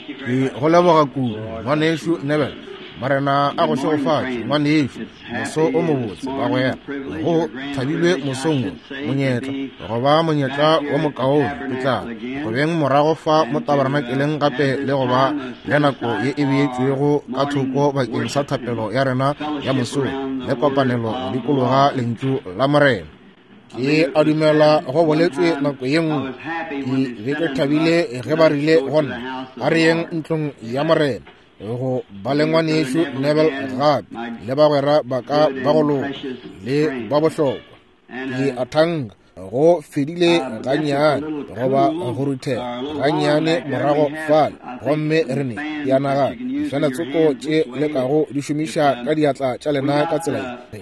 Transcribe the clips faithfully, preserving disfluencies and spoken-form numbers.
Ke go leboga kudu, ngwanešu Neville. Morena a go šegofatše, ngwanešu. Moso o mobotse, bagwera. Go thabilwe mosong wo, monyetla, go ba monyetla wo mokaone ke tla go beng morago fa mo tabernakeleng gape le go ba le nako ye e beetšwego ka thoko bakeng sa thapelo ya rena ya mosong le kopanelo go dikologa lentšu la Morena. Ke a dumela go boletswe nako ye nngwe. Ke be ke thabile ge ba rile go nna, a re yeng ntlong ya Morena go ba le ngwanešu Neville gape le bagwera ba ka ba go loka le ba bohlokwa. Ke a thanka go fedile gannyane goba go ruthela gannyane morago fale, gomme re ne ke a nagana difene tsoko tše lekago di šomiša ka diatla tša lena ka tsela ye.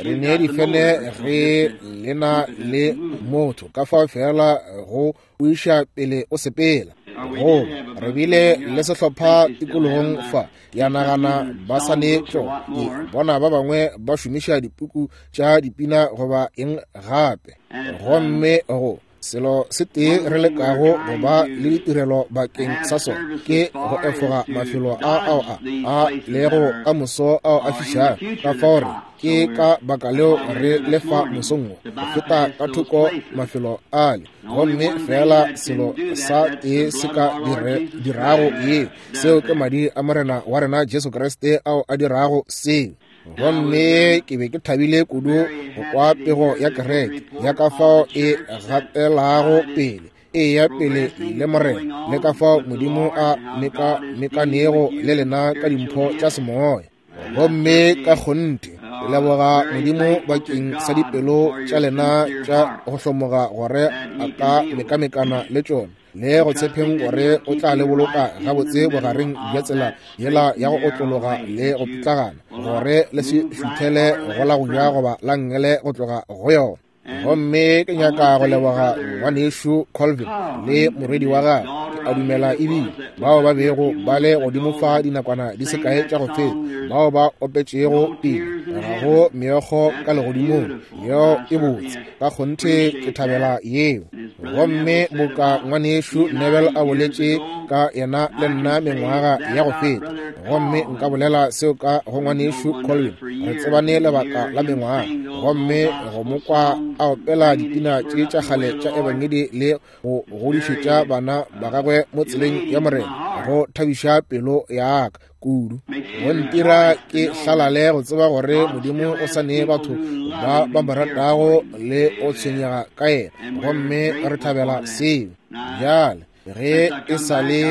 Re ne difene ge lena le motho ka fao fela go o iša pele o sepela. Goba re bile le sehlopha tikologong fa, ke a nagana ba sa ne tšona. Ke bona ba bangwe ba šomiša dipuku tša dipina goba eng gape. Gomme go selo se tee re lekago go ba le ditirelo bakeng sa sona ke go efoga mafelo a ao a a lego ka moso ao a fišago. Ka fao re ke ka baka leo re lefa mosong wo go feta ka thoko mafelo ale, gomme fela selo sa tee se ka dire, dirago yeo, seo ke madi a Morena wa rena Jesu Kriste ao a dirago seo. Gomme ke be ke thabile kudu go kwa pego ya kereke ya ka fao e gatelago pele, e ya pele le Morena, le ka fao Modimo a meka-mekanego le lena ka dimpho tša semoya. Gomme ka kgonthe ke leboga Modimo bakeng sa dipelo tša lena tša go hlomoga gore a ka mekamekana le tšona, le go tshepeng gore o tla le boloka gabotse bogareng bja tsela yela ya go otlologa le go pitlagana, gore le se šuthele go la go ja goba la nngele go tloga go yona. Gomme ke nyaka go leboga ngwanešu Colvin le morwedi wa gagwe, ke a dumela ebile bao ba bego ba le godimo fa dinakwana di se kae tša go feta, bao ba opetšego pina ga go meokgo ka legodimong, yeo e botse ka kgonthe, ke thabela yeo. Gomme boka ngwanešu Neville a boletše ka yena le nna mengwaga ya go feta, gomme nka bolela seo ka go ngwanešu Colvin, re tsebane lebaka la mengwaga, gomme go mo kwa a opela dipina tše tša kgale tša ebangedi le go godišetša bana ba gagwe mo tseleng ya Morena, go thabiša pelo ya ka kudu. Go ntira ke hlalale go tseba gore Modimo o sa nee batho ba ba mo ratago le go tshwenyega ka yena, gomme re thabela seo. Bjale ge e sa le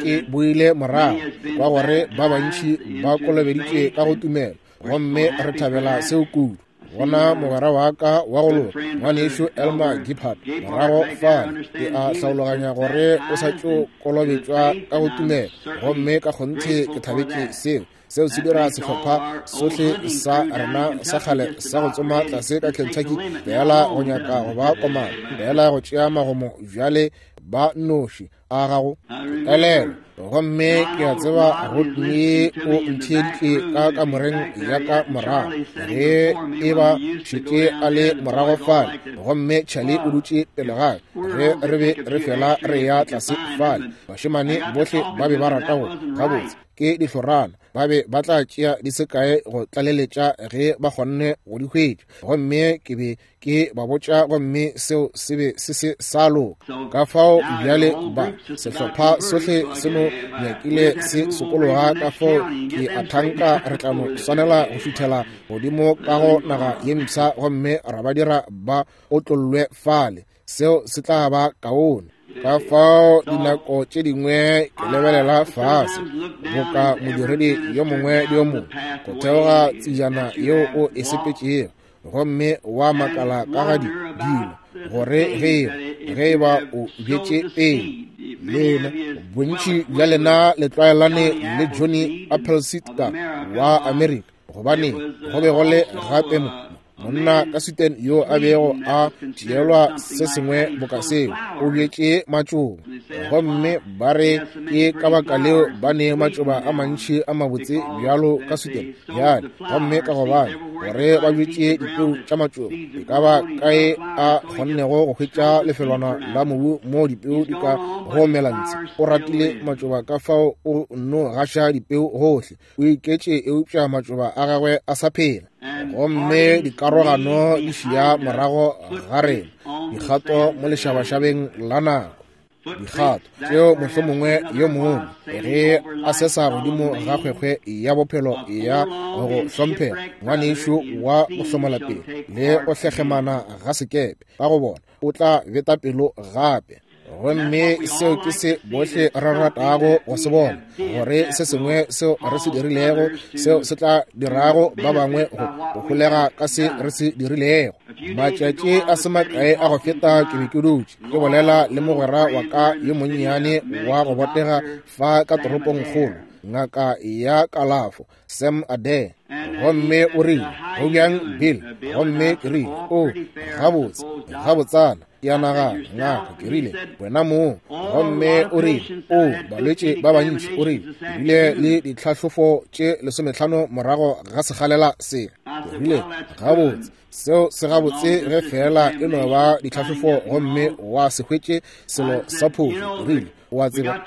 ke boile morago kwa gore ba bantši ba kolobeditšwe ka go tumelo, gomme re thabela seo kudu. Bona mogwera wa ka wa go loka, ngwanešu Elmer Giphart, morago fale, ke a hlaologanya gore o sa tšo kolobetšwa ka go tumelo, gomme ka kgonthe ke thabetše seo. Seo se dira sehlopha sohle sa rena sa kgale sa go tsoma tlase ka Kentucky fela go nyaka go ba komana, fela go tšea magomo bjale ba noši a gago elelo. Gomme ke a tseba Rodney o ntheeditše ka kamoreng ya ka morago ge e ba šetše a le morago fale, gomme Charlie o dutše pele ga ge re be re fela re ya tlase fale. Bašemane bohle ba be ba rata go gabotse ke dihlorana, ba be ba tla tšea di se kae go tlaleletša ge ba kgonne go di hwetša, gomme ke be ke ba botša, gomme seo se be se se sa loka. Ka fao bjale ba sehlopha sohle se no nyakile se sokologa, ka fao ke a thanka re tla no swanela go šuthela godimo ka go naga ye mpsha, gomme ra ba dira ba otlollwe fale. Seo se tla ba kaone. Ka fao dinako tše dingwe ke lebelela fase boka modiredi yo mongwe le yo mongwe go theoga tsejana yeo o e sepetšego, gomme wa makala ka ga dilo gore ge ge e ba o bjetše pele. Lena bontši bja lena le tlwaelane le Johnny Appleseed ka wa Amerika, gobane go be go le gape mo Monna ka Sweden yo a bego a tšeelwa se sengwe boka seo, o bjetše matšoba. Gomme ba re ke ka baka leo ba ne matšoba a mantši a mabotse bjalo ka Sweden bjale, gomme ka gobane gore ba bjetše dipeu tša matšoba, e ka ba kae a kgonnego go hwetša lefelwana la mobu moo dipeu di ka go mela ntshe. O ratile matšoba ka fao o nno gaša dipeu gohle, o iketše, eupša matšoba a gagwe a sa phela. Gomme dikarogano di šia morago ga rena, dikgato mo lešabašabeng la nako, dikgato tšeo mohlomongwe yo mongwe ge a sesa godimo ga kgwekgwe ya bophelo ya go hlomphega, ngwanešu wa go hlomola pelo le go hlegemana ga sekepe ka go bona, o tla beta pelo gape. Gomme seo ke se bohle re ratago go se bona, gore se sengwe seo re se dirilego seo se tla dirago ba bangwe go holega ka se re se dirilego. Matšatši a se makae a go feta ke be ke dutše ke bolela le mogwera wa ka yo monnyane wa go botega fa ka toropongkgolo, ngaka ya kalafo Sam Adair. Gomme o rile, go bjang Bill? Gomme ke rile, o gabotse, gabotsana, ke a nagana, ngaka. Ke rile, wena mong. Gomme o rile, o balwetše ba bantši, o rile, ke bile le ditlhahlofo tše lesometlhano morago ga sekgalela se. Ke rile, gabotse, seo se gabotse ge fela e no ba ditlhahlofo gomme wa se hwetše selo sa phošo. Ke rile, o a tseba,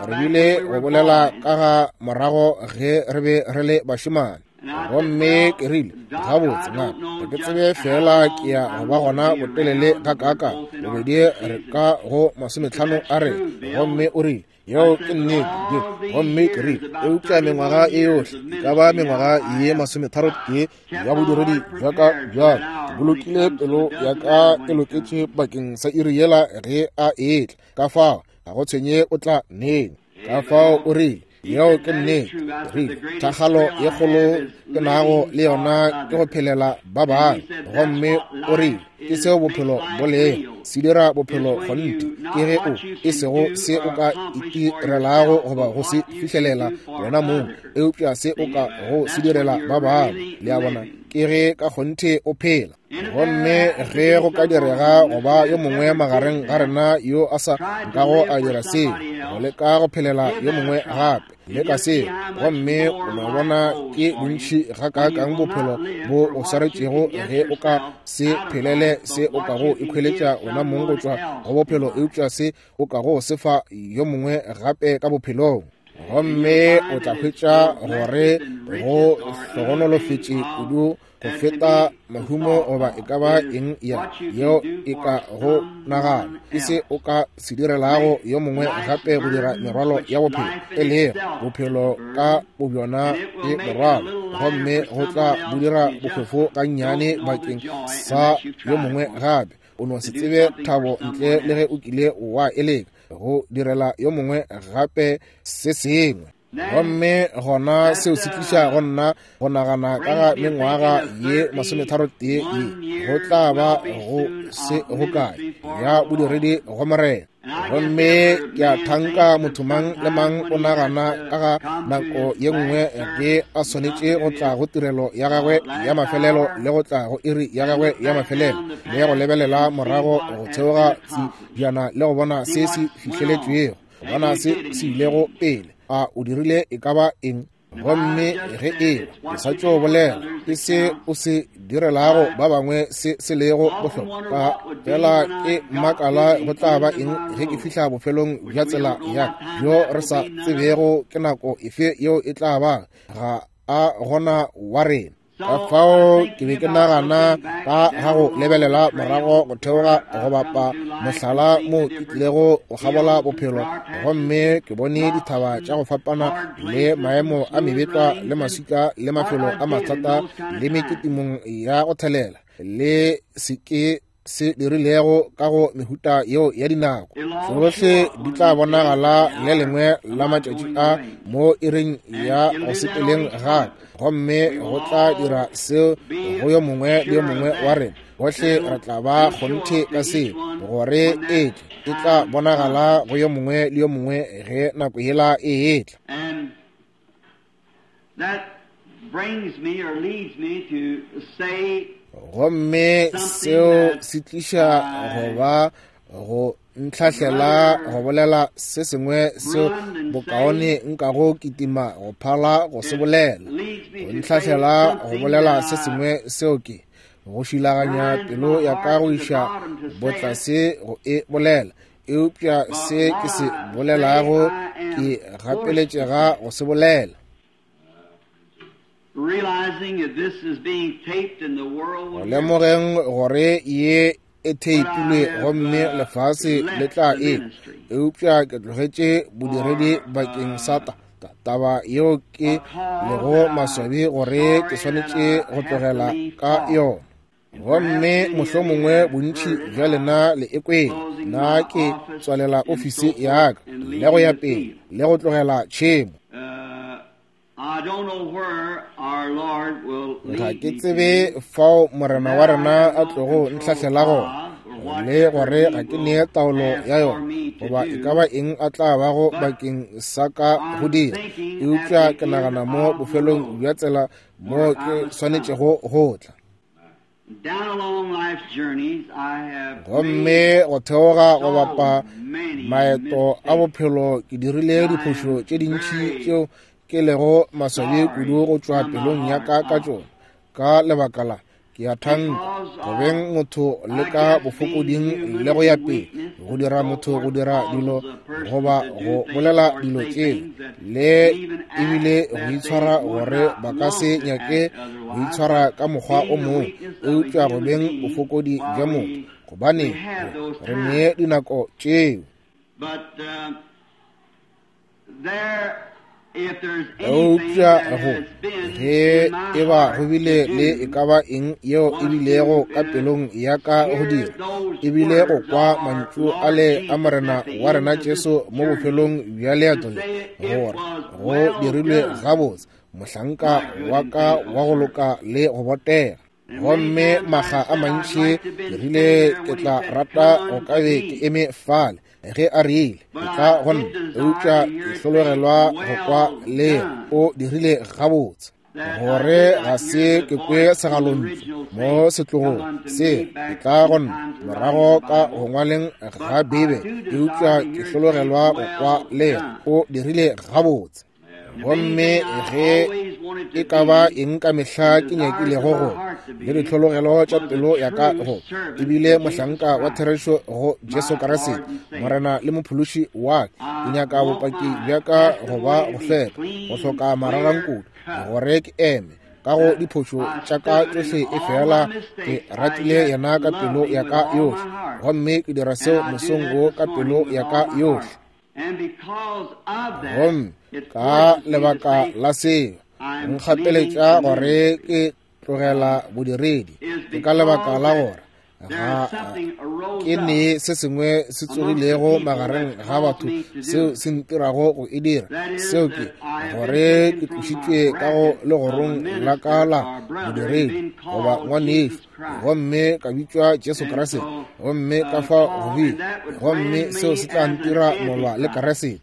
re bile go bolela ka ga morago ge re be re le bašemane. Gomme ke rile, gabotse ngaka, ga ke tsebe fela ke ya go ba gona botelele gakaaka, bobedi re ka go masometlhano a re. Gomme o rile, yeo ke nnete Bill. Gomme ke rile, eupša mengwaga e yohle e ka ba mengwaga ye masometharo tee ya bodiredi bja ka bjalo, ke bolokile pelo ya ka e loketše bakeng sa iri yela ge a etla, ka fao ga go tshwenye o tla neng. Ka fao o rile, yeo ke nnete. Rile, thakgalo ye kgolo ke nago le yona ke go phelela ba bangwe. Gomme o rile, ke seo bophelo bo lego, se dira bophelo kgonthe, ke ge o e sego se o ka itirelago goba go se fihlelela wena mong, eupša se o ka go se direla ba bangwe. Le a bona, ke ge ka kgonthe o phela. Gomme ge go ka direga go ba yo mongwe magareng ga rena yo a sa nkago a dira seo, go leka go phelela yo mongwe gape, leka seo, gomme o no bona ke bontši gakaakang bophelo bo o swaretšego ge o ka se phelele se o kago ikhweletša wena mong go tšwa go bophelo, eupša se o kago se fa yo mongwe gape ka bophelong. Gomme o tla hwetša gore go hlogonolofetše kudu go feta mahumo goba e ka ba eng ya yeo e ka go nagana, ke se o ka se direlago yo mongwe gape go dira merwalo ya bophelo, e lego bophelo ka bobjona ke morwalo, gomme go tla bo dira bohwefo gannyane bakeng sa yo mongwe gape. O no se tsebe thabo ntle le ge o kile wa e leka go direla yo mongwe gape se sengwe. Gomme gona seo se tliša go nna go nagana ka ga mengwaga ye masometharo tee ye go tla ba go se go kae ya bodiredi go Morena. Gomme ke a thanka motho mang le mang o nagana ka ga nako ye nngwe ge a swanetše go tla go tirelo ya gagwe ya mafelelo le go tla go iri ya gagwe ya mafelelo, le go lebelela morago go theoga tsejana le go bona se se fihleletšwego, go bona se se ilego pele. A o dirile e ka ba eng? Gomme ge e ke sa tšo bolela, ke se o se direlago ba bangwe se se lego bohlokwa. Fela ke makala go tla ba eng ge ke fihla bofelong bja tsela ya ka, bjo re sa tsebego ke nako efe yeo e tla ba, ga a gona wa rena. Ka fao ke be ke nagana ka ga go lebelela morago go theoga go bapa mohlala mo ke tlilego go kgabola bophelo, gomme ke bone dithaba tša go fapana le maemo a mebetlwa le maswika le mafelo a mathata le meketimong ya go thelela le se ke se dirilego ka go mehuta yeo ya dinako. Tsohle di tla bonagala le lengwe la matšatši a mo iring ya go sepeleng gape, gomme go tla dira seo go yo mongwe le yo mongwe wa rena. Bohle re tla ba kgonthe ka seo, gore e tle e tla bonagala go yo mongwe le yo mongwe ge nako yela e etla. That brings me or leads me to say Gomme seo se tliša go ba go ntlhahlela go bolela se sengwe seo bokaone nkago kitima go phala go se bolela. Go ntlhahlela go bolela se sengwe seo ke go šilaganya pelo ya ka go iša botlase go e bolela. Eupša se ke se bolelago ke gapeletšega go se bolela. Go lemogeng gore ye e theipilwe gomme lefase le tla e, eupša ke tlogetše bodiredi bakeng sa ta taba yeo ke lego maswabi gore ke swanetše go tlogela ka yona. Gomme mohlomongwe bontši bja lena le e kwele, nna ke tswalela ofisi ya ka le go ya pele le go tlogela tšhemo. Ga ke tsebe fao morena wa rena a tlogo ntlhahlela gona, le gore ga ke nee taolo ya yona, goba e ka ba eng a tla bago bakeng sa ka go dira. Eupša ke nagana mo bofelong bja tsela mo ke swanetšego go tla. Gomme go theoga go bapa maeto a bophelo ke dirile diphošo tše dintši tšeo ke lego maswabi kudu go tšwa pelong ya ka ka tšona. Ka lebaka la ke a thanka go beng motho le ka bofokoding le go ya pele, go dira motho go dira dilo goba go bolela dilo tšeo, le ebile go itshwara gore ba ka se nyake go itshwara ka mokgwa o mongwe, eupša go beng bofokodi bja motho, gobane re nee dinako tšeo. Eupša go ge e ba go bile le e ka ba eng yeo e bilego ka pelong ya ka go dira, e bile go kwa mantšu ale a morena wa rena Jesu mo bofelong bja leeto le, gore go dirilwe gabotse, mohlanka wa ka wa go loka le go botega. Gomme makga a mantši ke rile ke tla rata go ka be ke eme fale ge a rile ke tla go nna, eupša ke hlologelwa go kwa le o dirile gabotse, gore ga se ke kwe segalontšu mo setlogong se ke tla go nna morago ka go ngwaleng ga Beibe, eupša ke hlologelwa go kwa le o dirile gabotse. Gomme ge e ka ba eng ka mehla ke nyakilego go le ditlhologelo tša pelo ya ka go ebile mohlanka wa therešo go Jesu Kriste morena le mophološi wa ka, ke nyaka bopaki bja ka go ba go hlweka, go hloka mararankudu, gore ke eme ka go diphošo tša ka tšohle, e fela ke ratile yena ka pelo ya ka yohle, gomme ke dira seo mosong wo ka pelo ya ka yohle. Gomme ka lebaka la seo nkgapeletša gore ke tlogela bodiredi, ke ka lebaka la gore ga ke ne se sengwe se tsogilego magareng ga batho seo se ntirago go e dira. Seo ke gore ke tlošitšwe ka go legorong la ka la bodiredi goba ngwanešu, gomme ka bitšwa Jesu Kriste, gomme ka fa go bile, gomme seo se tla ntira molwa le Kriste.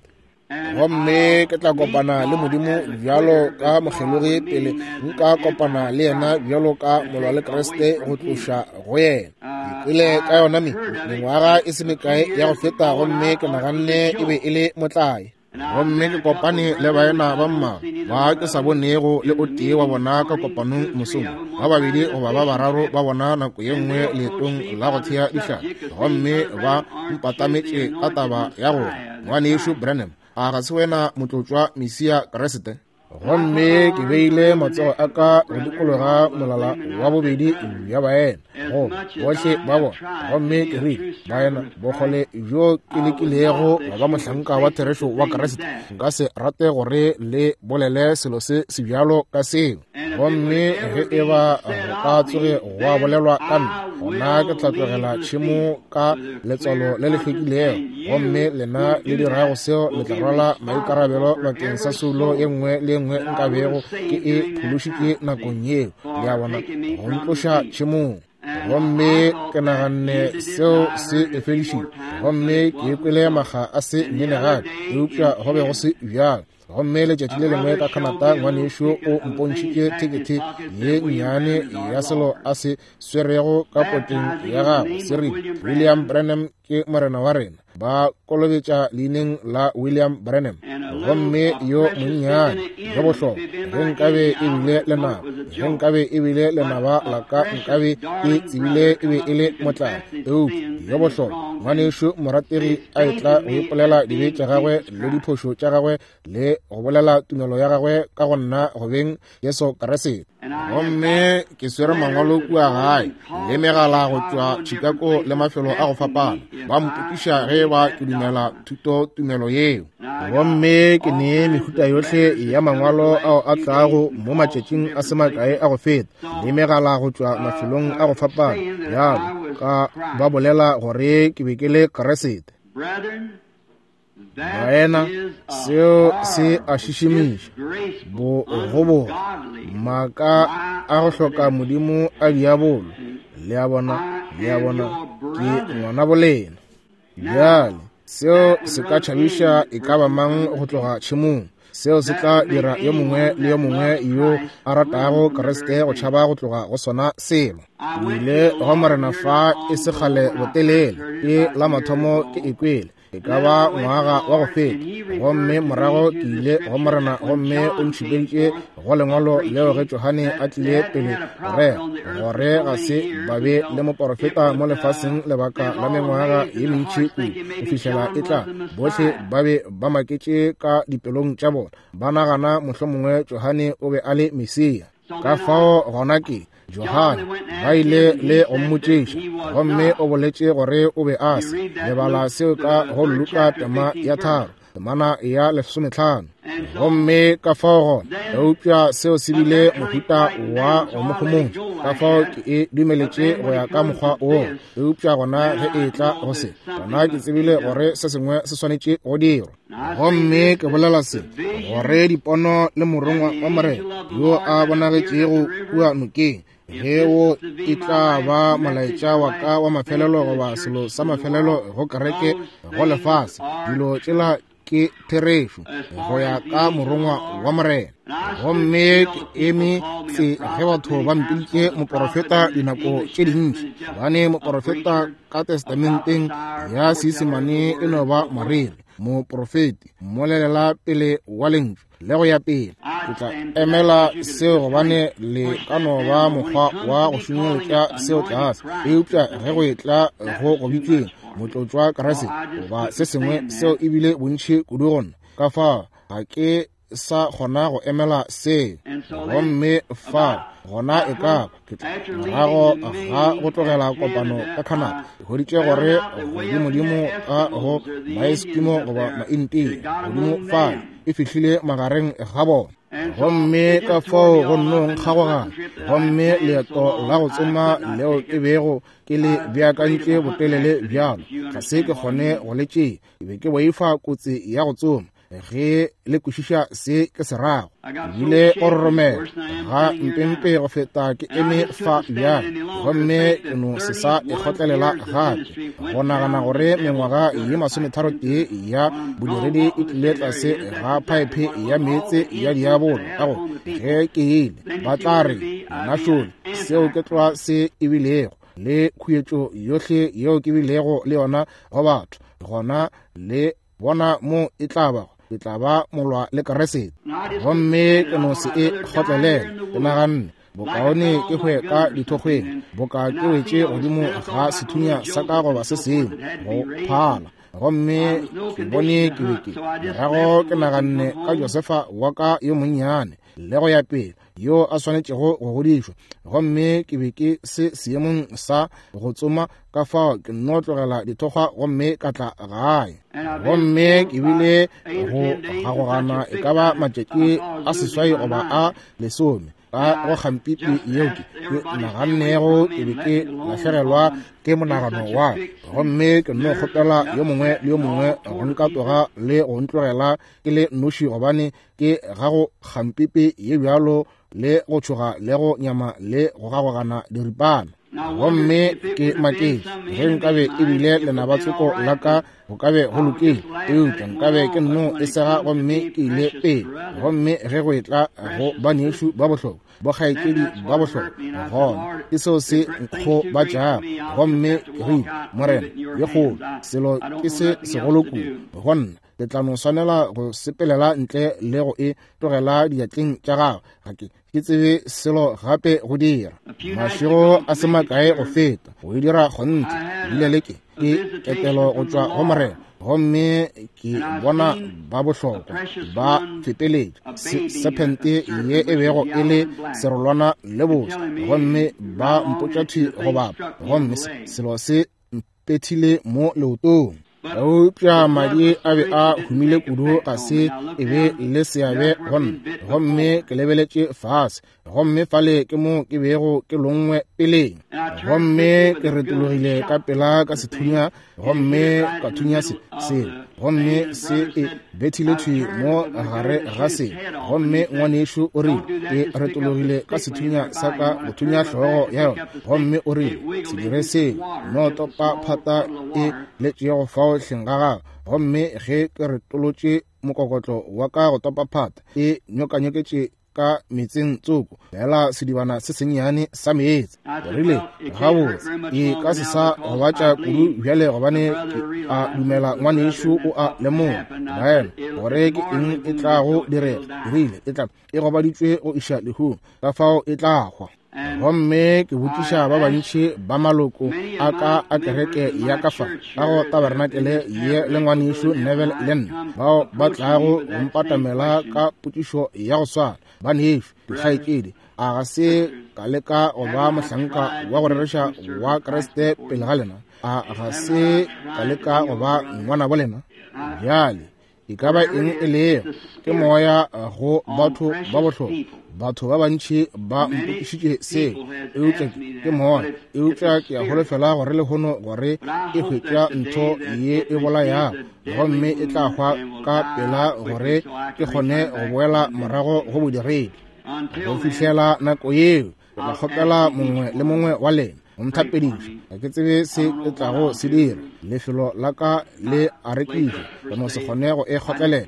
Gomme ke tla kopana le Modimo bjalo ka mokgelogi pele nka kopana le yena bjalo ka molwa le Kriste go tloša go yena. Ke kwele ka yona me mengwaga e se mekae ya go feta, gomme ke naganne e be e le motlae. Gomme ke kopane le baena ba mmalwa ba ke sa bonego le o tee wa bona ka kopanong mosong, ba babedi goba ba bararo ba bona nako ye nngwe leetong la go thea dihlapi, gomme ba mpatametše ka taba ya gore ngwanešu Branham, a ga se wena motlotšwa Mesia Kriste? Gomme ke beile matsogo a ka go dikologa molala wa bobedi bja baena goba bohle ba bona, gomme ke rile, baena, bokgole bjo ke lekilego go ba mohlanka wa therešo wa Kriste, nka se rate gore le bolele selo se sebjalo ka seo. Gomme ge e ba go ka tsoge gwa bolelwa ka nna, gona ke tla tlogela tšhemo ka letswalo le le hlwekilego, gomme lena le dirago seo le tla rwala maikarabelo bakeng sa soulo ye nngwe le nngwe nka bego ke e phološitše nakong yeo, le a bona, go ntloša tšhemong. Gomme ke naganne seo se e fedišitše, gomme ke kwele makga a se nene gape, eupša go be go se bjalo. Gomme letšatši le lengwe ka Canada, ngwanešu o mpontšhitše thekethe ye nnyane ya selo a se swerego ka potleng ya gagwe, se rile, William Branham ke morena wa rena. Ba kolobetša leineng la William Branham. Gomme yo monnyane yo bohlokwa, ge nkabe e bile lenaba, ge nkabe e bile lenaba la ka, nkabe ke tsebile e be e le motlabo. Eupša yo bohlokwa ngwanešu morategi a etla go ipolela dibe tša gagwe le diphošo tša gagwe le go bolela tumelo ya gagwe ka go nna go beng Jesu Kriste. Gomme ke swere mangwalo kua gae le megala go tšwa Chicago le mafelo a go fapana, ba mpotiša ge ba ke dumela thuto tumelo yeo. Gomme ke nee mehuta yohle ya mangwalo ao a tlago mo matšatšing a se makae a go feta, le megala go tšwa mafelong a go fapana bjalo ka ba bolela gore ke be ke le Kriste. Baena, seo se a šišimiša, bogoboga, maaka a go hloka modimo a diabolo. Le a bona, le a bona, ke ngwana bolena. Bjale, seo se ka tšhabiša e ka ba mang go tloga tšhemong. Seo se tla dira yo mongwe le yo mongwe yo a ratago Kriste go tšhaba go tloga go sona selo. Ke ile go Morena fa e se kgale botelele, ke la mathomo ke e kwele, e ka ba ngwaga wa go feta. Gomme morago ke ile go Morena, gomme o ntšhupeditše go lengwalo leo ge Johane a tlile pele go rera gore ga se ba be le moporofeta mo lefaseng lebaka la mengwaga ye mentši kudu go fihlela e tla. Bohle ba be ba maketše ka dipelong tša bona, ba nagana mohlomongwe Johane o be a le Mesia. Ka fao gona ke Johane ba ile le go mmotšiša, gomme o boletše gore o be a se. Lebala seo ka go Luka tema ya tharo, temana ya lesometlhano. Gomme ka fao gona, eupša seo se bile mohuta wa go mo homotša, ka fao ke e dumeletše go ya ka mokgwa woo. Eupša gona ge e tla go se, gona ke tsebile gore se sengwe se swanetše go dirwa. Gomme ke bolela se, gore dipono le morongwa wa Morena yo a bonagetšego kua nokeng, ge wo e tla ba molaetša wa ka wa mafelelo goba selo sa mafelelo go kereke go lefase, dilo tšela ke therešo go ya ka morongwa wa Morena. Gomme ke eme tse ge batho ba mpiditše moporofeta dinako tše dintši, gobane moporofeta ka testamenteng ya Seisemane e no ba moreri, moprofeti, mmolelela pele wa lentšu le go ya pele. Ke tla emela seo gobane le ka no ba mokgwa wa go šunyeletša seo tlase, eupša ge go etla go go bitšweng motlotšwa Kriste goba se sengwe, seo e bile bontši kudu go nna, ka fao ga ke sa kgona go emela seo. Gomme fa gona e ka ke tla morago ga go tlogela kopano ka Canada, ke hweditše gore godimodimo ka go Maeskimo goba Maintia godimo fa e fihlile magareng ga bona. Gomme ka fao go nno nkgagogana, gomme leeto la go tsoma leo ke bego ke le beakantše botelele bjalo, ga se ke kgone go le tšea. Ke be ke boifa kotsi ya go tsoma, ge le kwešiša se ke se rago. Ke bile go roromela ga mpempe go feta ke eme fa bjale, gomme ke no se sa e kgotlelela gape. Go nagana gore mengwaga ye masometharotee ya bodiredi e tlile tlase ga phaephe ya meetse ya diabolo, ka go ge ke ile ba tla re nna šole, seo ke tloa se e bilego le khuetšo yohle yeo ke bilego le yona go batho, gona le bona mo e tla bago, ke tla ba molwa le Kriste. Gomme ke no se e kgotlelela. Ke naganne bokaone ke hwe ka dithokgweng, boka ke wetše godimo ga sethunya sa ka goba se sengwe go phala. Gomme ke bone ke be ke morago ke naganne ka Josefa wa ka yo monnyane le go ya pele, yo a swanetšego go godišwa. Gomme ke be ke se seemong sa go tsoma, ka fao ke nno tlogela dithokgwa gomme ka tla gae. Gomme ke bile go gagogana e ka ba matšatši a seswai goba a lesome ka go kgampipi yeo ke nagannego ke be ke lahlegelwa ke monagano wa. Gomme ke nno kgopela yo mongwe le yo mongwe go nkatoga le go ntlogela ke le noši, gobane ke ga go kgampipi ye bjalo le go tšhoga le go nyama le go gagogana diripana. Gomme ke maketše ge nkabe e bile lenabatsoko la ka go ka be go lokile, eupša nkabe ke nno e sega gomme ke ile pele. Gomme ge go etla go banešu ba bohlokwa, bokgaetšedi ba bohlokwa, gona ke seo se nkgobatšago. Gomme ke rile, Morena, ye kgolo selo ke se segolo kudu go nna, ke tla no swanela go sepelela ntle le go e tlogela diatleng tša gago. Ga ke ke tsebe selo gape go dira. Mašego a se makae go feta go e dira kgonthe, bile le ke ke ketelo go tšwa go Morena, gomme ke bona ba bohlokwa ba feteletša sephente ye e bego e le serolwana le bose, gomme ba mpotša thwi go bapa, gomme selo se mpethile mo leotong. Eupša madi a be a humile kudu ga se e be le seabe go nna. Gomme ke lebeletše fase, gomme fale ke mo ke bego ke longwe peleng. Gomme ke retologile ka pela ka sethunya, gomme ka thunya se selo, gomme se e bethile thwi mo gare ga se. Gomme ngwanešu o rile, ke retologile ka sethunya sa ka go thunya hlogo ya yona, gomme o rile, se dire seo, no topa phata e letšego fao hleng ga gago. Gomme ge ke retolotše mokokotlo wa ka go topa phata, e nyokanyoketše ka metseng tsoko, fela sedibana se sennyane sa meetse. Ke rile, gabotse, e ka se sa gobatša kudu bjale, gobane ke a dumela ngwanešu o a lemoga, baena, gore ke eng e tlago direga. Ke rile, e tla e gobaditšwe go iša lehung, ka fao e tla hwa. Gomme ke botšiša ba bantši ba maloko a ka a kereke ya ka fa ka go tabernakelе ye le ngwanešu Neville le nna, bao ba tlago go mpatamela ka potšišo ya go swana. Banešu, dikgaetšedi, a ga se ka leka go ba mohlanka wa go rereša wa Kriste pele ga lena? A ga se ka leka go ba ngwana bo lena? Bjale e ka ba eng e lego, ke moya go batho ba bohlokwa. Batho ba bantši ba mpotšišitše seo, eupša ke moya. Eupša ke a holofela gore lehono gore e hwetša ntho ye e bolayago, gomme e tla hwa ka pela gore ke kgone go boela morago go bodiredi. Go fihlela nako yeo, ke tla kgopela mongwe le mongwe wa lena go nthapediša. Ga ke tsebe se ke tlago se dira. Lefelo la ka le a rekišwa, ke no se kgone go e kgotlelela.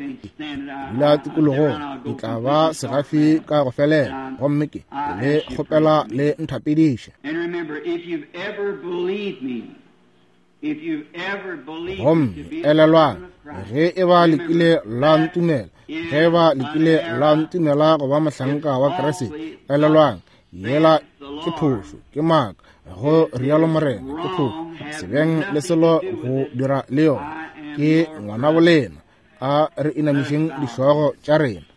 Dula tikologong, ke tla ba segafi ka go felela, gomme ke le kgopela le nthapediše. Gomme elelwang, ge e ba le kile la ntumela, ge e ba le kile la ntumela go ba mohlanka wa Kriste, elelwang, yela ke phošo, ke maaka, go rialo Morena, ke phošo. Se beng le selo go dira le yona. Ke ngwana bolena. A re inamišeng dihlogo tša rena.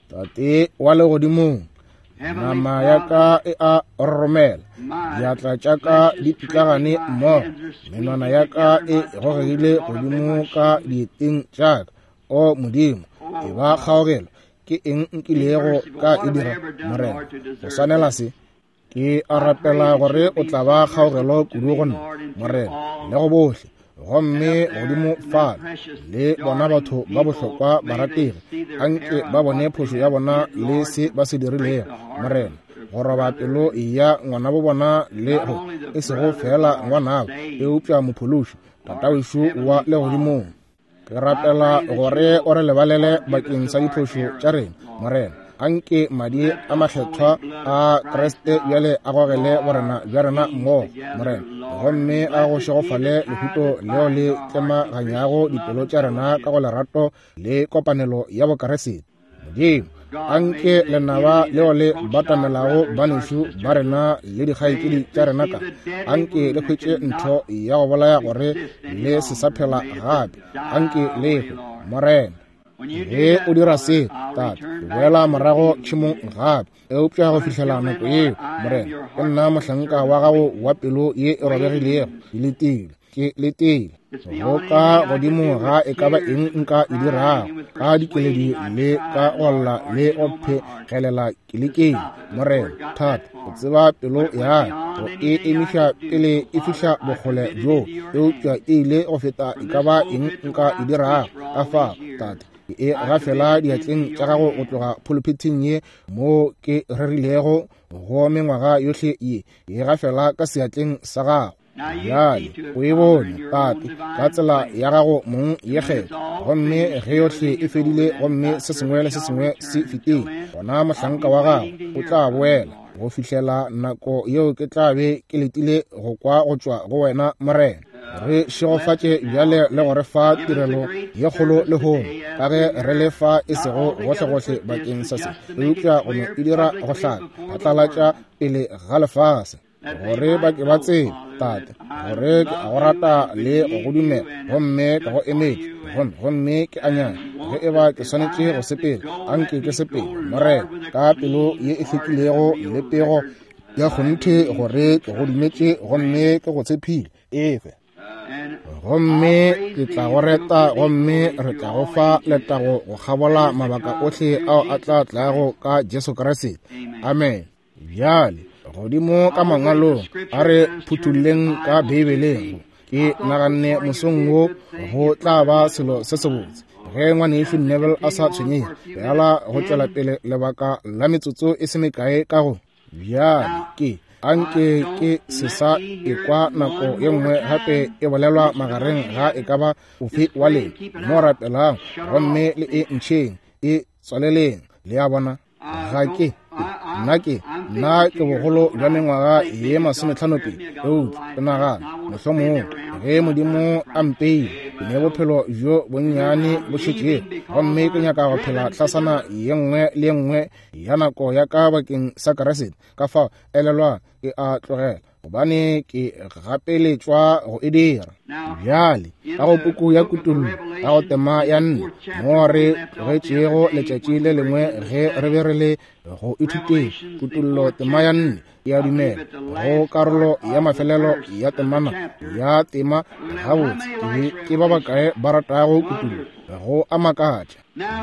Tate wa legodimong, nama ya ka e a roromela, diatla tša ka di pitlagane mmogo, menwana ya ka e gogegile godimo ka dieteng tša ka. O Modimo, e ba kgaogelo, ke eng nkilego ka e dira, Morena, go swanela se? Ke a rapela gore o tla ba kgaogelo kudu go nna, Morena, le go bohle. Gomme godimo fale le bona batho ba bohlokwa barategi, anke ba bone phošo ya bona le se ba se dirilego, Morena, go roba pelo ya ngwanabo bona le go e sego fela ngwanabo, eupša mophološi, Tatawešu wa legodimong. Ke rapela gore o re lebalele bakeng sa diphošo tša rena, Morena. Anke madi a makgethwa a Kriste bjale a gogele borena bja rena mmogo, Morena, gomme a go šegofale lehuto leo le tlemaganyago dipelo tša rena ka go lerato le kopanelo ya Bokriste. Modimo, anke lenaba leo le batamelago banešu ba rena le dikgaetšedi tša rena ka, anke le hwetše ntho ya go bolaya gore le se sa phela gape. Anke le hwe, Morena. Ge o dira se, Tate, ke boela morago tšhemong gape. Eupša go fihlela nako yeo, Morena, ke nna mohlanka wa gago wa pelo ye e robegilego. Ke letile, ke letile go ka godimo ga e ka ba eng nka e dirago, ka dikeledi le ka go lla le go phegelela ke lekeng. Morena, thata o tseba pelo ya ka, go e emiša pele e fihla bokgole bjo, eupša e ile go feta e ka ba eng nka e dirago. Ka fao, Tate, Ke e gafela diatleng tša gago go tloga pulpiteng ye mo ke rerilego go mengwaga yohle ye. Ke e gafela ka seatleng sa gago. Bjale o e bone, Tate, ka tsela ya gago mong ye kgetho. Gomme ge yohle e fedile gomme se sengwe le se sengwe se fetile, gona mohlanka wa gago o tla boela. Go fihlela nako yeo ke tla be ke letile go kwa go tšwa go wena, Morena. Re šegofatše bjale le go re fa tirelo ye kgolo lehono, ka ge re le fa e sego gohlegohle bakeng sa se, eupša go no e dira go hlaka phatlalatša pele ga lefase, gore ba ke ba tsebe, Tate, gore ke a go rata le go go dumela, gomme ka go emetše, gomme gomme ke a nyaka ge e ba ke swanetše go sepela, anke ke sepele, Morena, ka pelo ye e hlwekilego le pego ya kgonthe gore ke go dumetše gomme ke go tshepile. Efe gomme ke tla go reta, gomme re tla go fa letago go kgabola mabaka ohle ao a tla tlago ka Jesu Kriste. Amen. Bjale godimo ka mangwalong, a re phuthulleng ka Beibeleng. Ke naganne mosong wo go tla ba selo se sebotse ge ngwanešu Neville a sa tshwenyege bjala go tšwela pele lebaka la metsotso e se mekae ka go. Bjale ke anke ke se sa ekwa nako ye nngwe gape e bolelwa magareng ga e ka ba ofe wa lena mo rapelang, gomme le e ntšheng e tswaleleng. Le a bona, ga ke nna ke nna ke bogolo bja mengwaga ye masometlhano pedi, eupša ke nagana mohlomongwe ge Modimo a mpeile ke ne bophelo bjo bonnyane bo šetšego, gomme ke nyaka go phela tlasana ye nngwe le ye nngwe ya nako ya ka bakeng sa Kriste. Ka fao elelwang, ke a tlogela gobane ke gapeletšwa go e dira. Bjale ka go puku ya Kutullo, ka go tema ya nne, mo re tlogetšego letšatši le lengwe ge re be re le go ithuteng. Kutullo tema ya nne, ke a dumela go karolo ya mafelelo ya temana ya tema. Gabotse ke ba bakae ba ratago Kutullo? Go a makatša.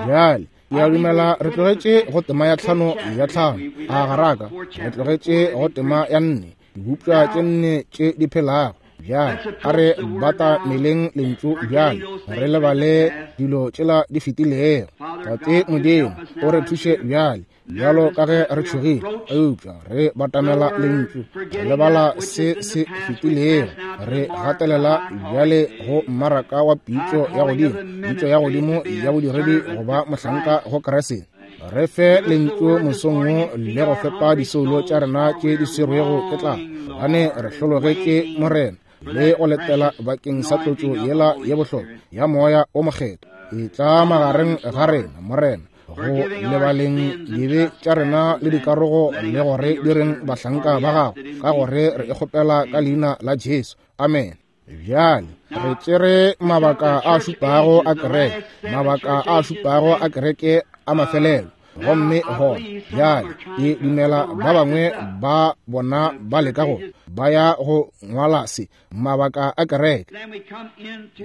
Bjale ke a dumela re tlogetše go tema ya tlhano ya tlhano, a garaka re tlogetše go tema ya nne, dibopša tše nne tše di phelago. Bjale a re batameleng lentšu bjale, re lebale dilo tšela di fetilego. Tate Modimo, o re thuše bjale, bjalo ka ge re tšhogile, eupša re batamela lentšu, re lebala se se fetilego, re gatelela bjale go mmaraka wa pitšo ya godimo, pitšo ya godimo ya bodiredi go ba mohlanka go Kriste. Re fe lentšu mosong wo le go fepa disoulo tša rena tše di swerwego ke tlala, gobane re hlologetše Morena le go letela bakeng sa tlotšo yela ye bohlokwa ya Moya o Mokgethwa. E tla magareng ga rena, Morena, go lebaleng dibe tša rena le dikarogo, le gore di reng bahlanka ba gago, ka gore re e kgopela ka leina la Jesu. Amen. Bjale re tšere mabaka a šupago a kereke, mabaka a šupago a kereke a mafelelo, gomme gona bjale ke dumela ba bangwe ba bona ba leka go ba ya go ngwala se, mabaka a kereke.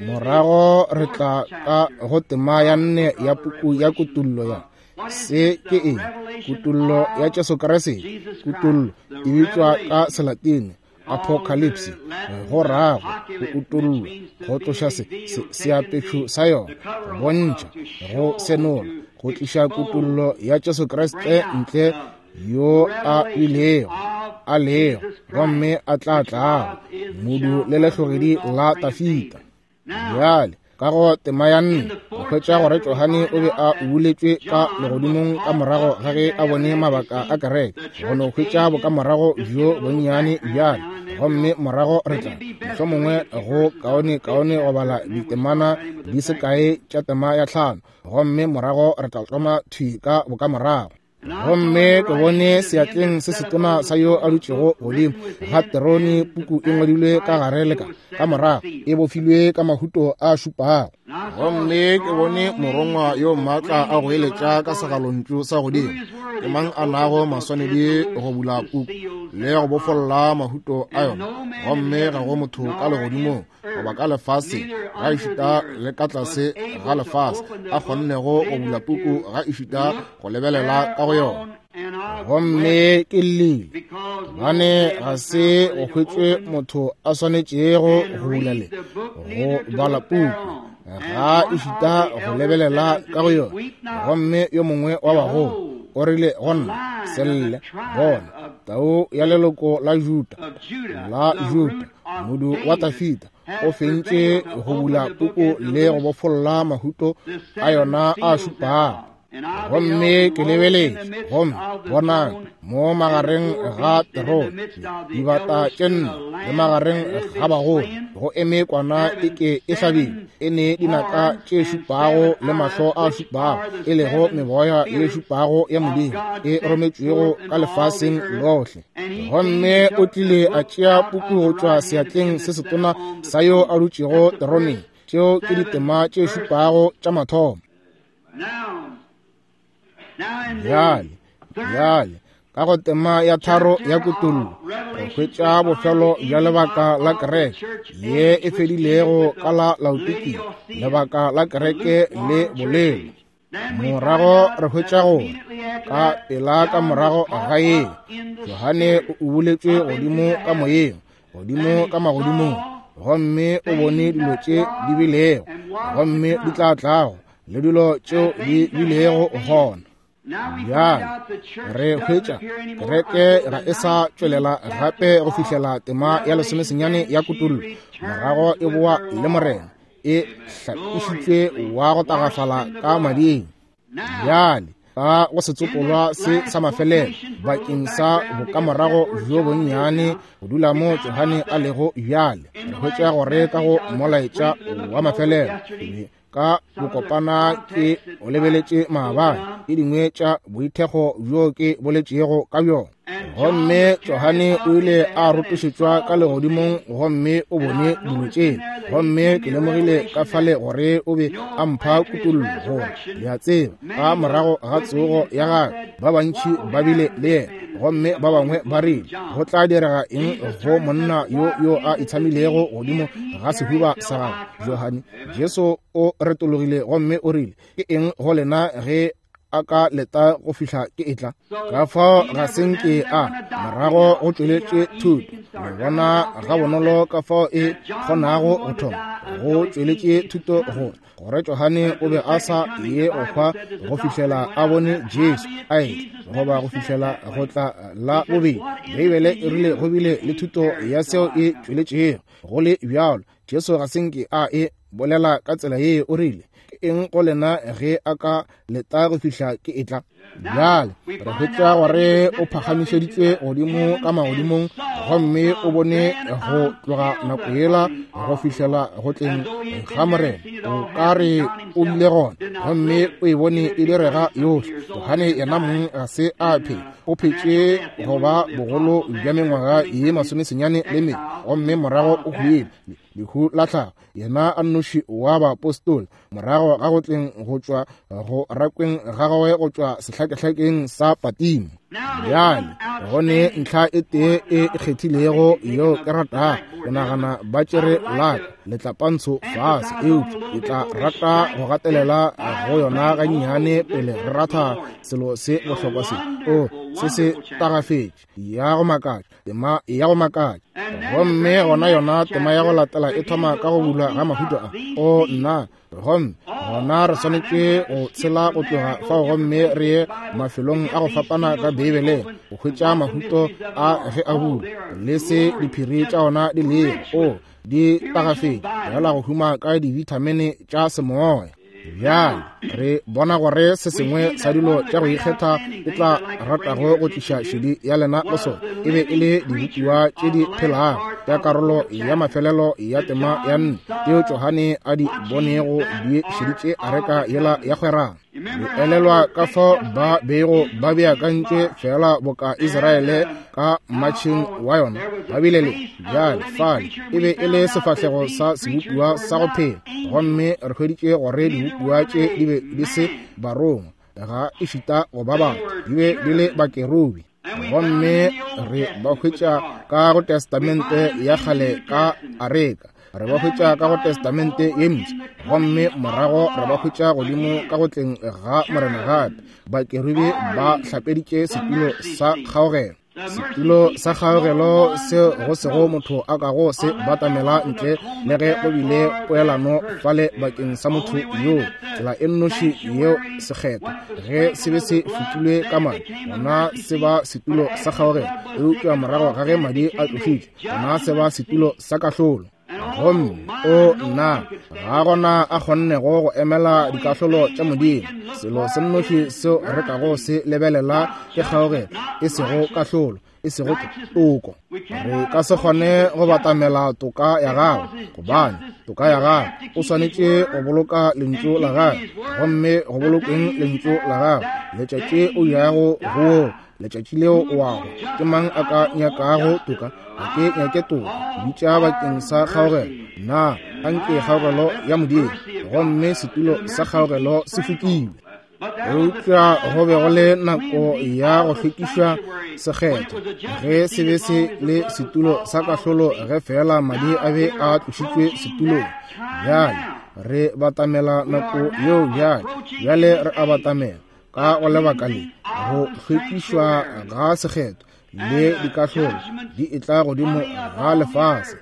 Morago re tla ka go tema ya nne ya puku ya Kutullo ya se ke eng? Kutullo ya Jesu Kriste. Kutullo e bitšwa ka Selatine apocalypse, go rago go utollwa, go tloša se seapešo sa yona, go bontšha, go senola, go tliša kutullo ya Jesu Kriste ntle, yo a bilego, a lego, gomme a tla tlago, modu le lehlogedi la Tafita. Bjale ka go tema ya nne go hwetša gore Johane o be a ubuletšwe ka legodimong ka morago ga ge a bone mabaka a kereke, go no hwetša bokamorago bjo bonnyane bjale, gomme morago re tla mohlomongwe go kaone kaone go bala ditemana di se kae tša tema ya tlhano, gomme morago re tla tloma thwi ka bokamorago. Gomme ke bone seatleng se setona sa yo a dutšego godimo ga terone puku e ngwadilwe ka gare le ka ka morago, e bofilwe ka mahuto a šupago. Gomme ke bone morongwa yo maatla a goeletša ka segalontšu sa godimo, ke mang a nago maswanedi go bula puku le go bofolla mahuto a yona? Gomme ga go motho ka legodimong goba ka lefaseng, ga ešita le ka tlase ga lefase, a kgonnego go bula puku, ga ešita go lebelela ka go yona. Gomme ke llile, gobane ga se go hwetšwe motho a swanetšego go bula le go bala puku, Ga ešita go lebelela ka go yona. Gomme yo mongwe wa bagolo o rile go nna, se lle, bona, tau ya leloko la Juda, la Juda, modu wa Tafita, o fentše go bula puku le go bofolla mahuto a yona a šupago. Gomme ke lebeletše, gomme bonang, mo magareng ga terone, dibata tše nne, le magareng ga bagolo, go eme kwana e ke e hlabile, e ne dinaka tše šupago le mahlo a šupago, e lego meboya ye šupago ya Modimo e rometšwego ka lefaseng lohle. Gomme o tlile a tšea puku go tšwa seatleng se setona sa yo a dutšego teroneng. Tšeo ke ditema tše šupago tša mathomo. Bjale, bjale, ka go tema ya tharo ya Kutullo, re hwetša bofelo bja lebaka la kereke ye e fedilego ka la Laodikia, lebaka la kereke le bolelo. Morago re hwetša gore ka pela ka morago ga ye, Johane o ubuletšwe godimo ka moyeng, godimo ka magodimong, gomme o bone dilo tše di bilego, gomme di tla tlago, le dilo tšeo di bilego gona. Bjale re hwetša kereke ga e sa tšwelela gape go fihlela tema ya lesomesenyane ya Kutullo, morago e boa le Morena, e hlapišitšwe wa go tagafala ka mading. Bjale ka go setsopolwa se sa mafelelo bakeng sa bokamorago bjo bonnyane go dula mo Johane a lego bjale, re hwetša gore ka go molaetša wa mafelelo ka bokopana ke o lebeletše maabane ke dingwe tša boithekgo bjo ke boletšego ka bjona. Gomme Johane o ile a rotošetšwa ka legodimong gomme o bone dilo tše. Gomme ke lemogile ka fale gore o be a mpha kutollo gore, le a tseba, ka morago ga tsogo ya gagwe ba bantši ba bile le yena, gomme ba bangwe ba rile, go tla direga eng go monna yo yo a itshamilego godimo ga sehuba sa gagwe? Johane, Jesu o retologile gomme o rile, ke eng go lena ge a ka leta go fihla ke etla? Ka fao ga se nke a morago go tšweletše thuto. Le bona ga bonolo ka fao e kgonago go thoma go tšweletše thuto gore gore Johane o be a sa ye go hwa go fihlela a bone Jesu a etla, goba go fihlela go tla la bobedi. Beibele e rile go bile le thuto ya seo e tšweletšego. Go le bjalo, Jesu ga se nke a e bolela ka tsela ye. O rile, ke eng go lena ge a ka leta go fihla ke etla? Bjale re hwetša gore o phagamišeditšwe godimo ka magodimong, gomme o bone go tloga nako yela go fihlela go tleng ga Morena. O ka re o bile gona, gomme o e bone e direga yohle. Johane yena mong ga se a phela, o phetše go ba bogolo bja mengwaga ye masomesenyane le mene, gomme morago o hwile lehu la tlhago, yena a nnoši wa baapostola, morago ga go tleng go tšwa go rakweng ga gagwe go tšwa sehlakehlakeng sa Patimo. Bjale go ne ntlha e tee e kgethilego yeo ke ratago go nagana ba tšere laka letlapantsho fase, eupša ke tla rata go gatelela go yona gannyane pele re ratha selo se bohlokwa se. O se se tagafetše ya go makatša, tema ya go makatša. Gomme gona yona tema ya go latela e thoma ka go bulwa ga mahuto a. O nna, gomme gona re swanetše go tshela go tloga fao gomme re ye mafelong a go fapana ka Beibeleng go hwetša mahuto a ge a bulwa le se diphiri tša ona di lego. O di tagafetše fela go huma ka dibithamine tša semoya. Bjale re bona gore se sengwe sa dilo tša go ikgetha e tla ratago go tliša šedi ya lena go sona e be e le dibopiwa tše di phelago tša karolo ya mafelelo ya tema ya nne tšeo Johane a di bonego di šeditše areka yela ya kgwerano. Le elelwa ka fao ba bego ba beakantše fela boka Israele ka matšheng wa yona ba bile le bjale fale e be e le sefahlego sa sebopiwa sa go phela, gomme re hweditše gore dibopiwa tše di be di se barongwa ga ešita go ba batho, di be di le bakerubi. Gomme re ba hwetša ka go Testamente ya kgale ka areka, re ba hwetša ka go Testamente ye mpsha, gomme morago re ba hwetša godimo ka go tleng ga Morena gape. Bakerubi ba hlapeditše setulo sa kgaogelo. Setulo sa kgaogelo seo go sego motho a kago se batamela ntle le ge go bile poelano fale bakeng sa motho yoo. Tsela e nnoši yeo sekgetho ge se be se fetilwe ka madi, gona se ba setulo sa kgaogelo, eupša morago ga ge madi a tlošitšwe, gona se ba setulo sa kahlolo. Gomme o nna ga gona a kgonnego go emela dikahlolo tša Modimo. Selo se nnoši seo re kago se lebelela ke kgaogelo, e sego kahlolo, e sego toko. Re ka se kgone go batamela toka ya gagwe, gobane toka ya gagwe o swanetše go boloka lentšu la gagwe, gomme go bolokeng lentšu la gagwe letšatši o yago go wo, letšatši leo o wago. Ke mang a ka nyakago toka? Ga ke nyake toka, bitša bakeng sa kgaogelo. Na anke kgaogelo ya Modimo, gomme setulo sa kgaogelo se fokilwe. Eupša go be go le nako ya go hlwekišwa sekgetho ge se be se le setulo sa kahlolo, ge fela madi a be a tlošitšwe setulong. Bjale re batamela nako yeo bjale, bjale re a batamela ka go lebaka le go hlwekišwa ga sekgetho le dikahlolo di etla godimo ga lefase.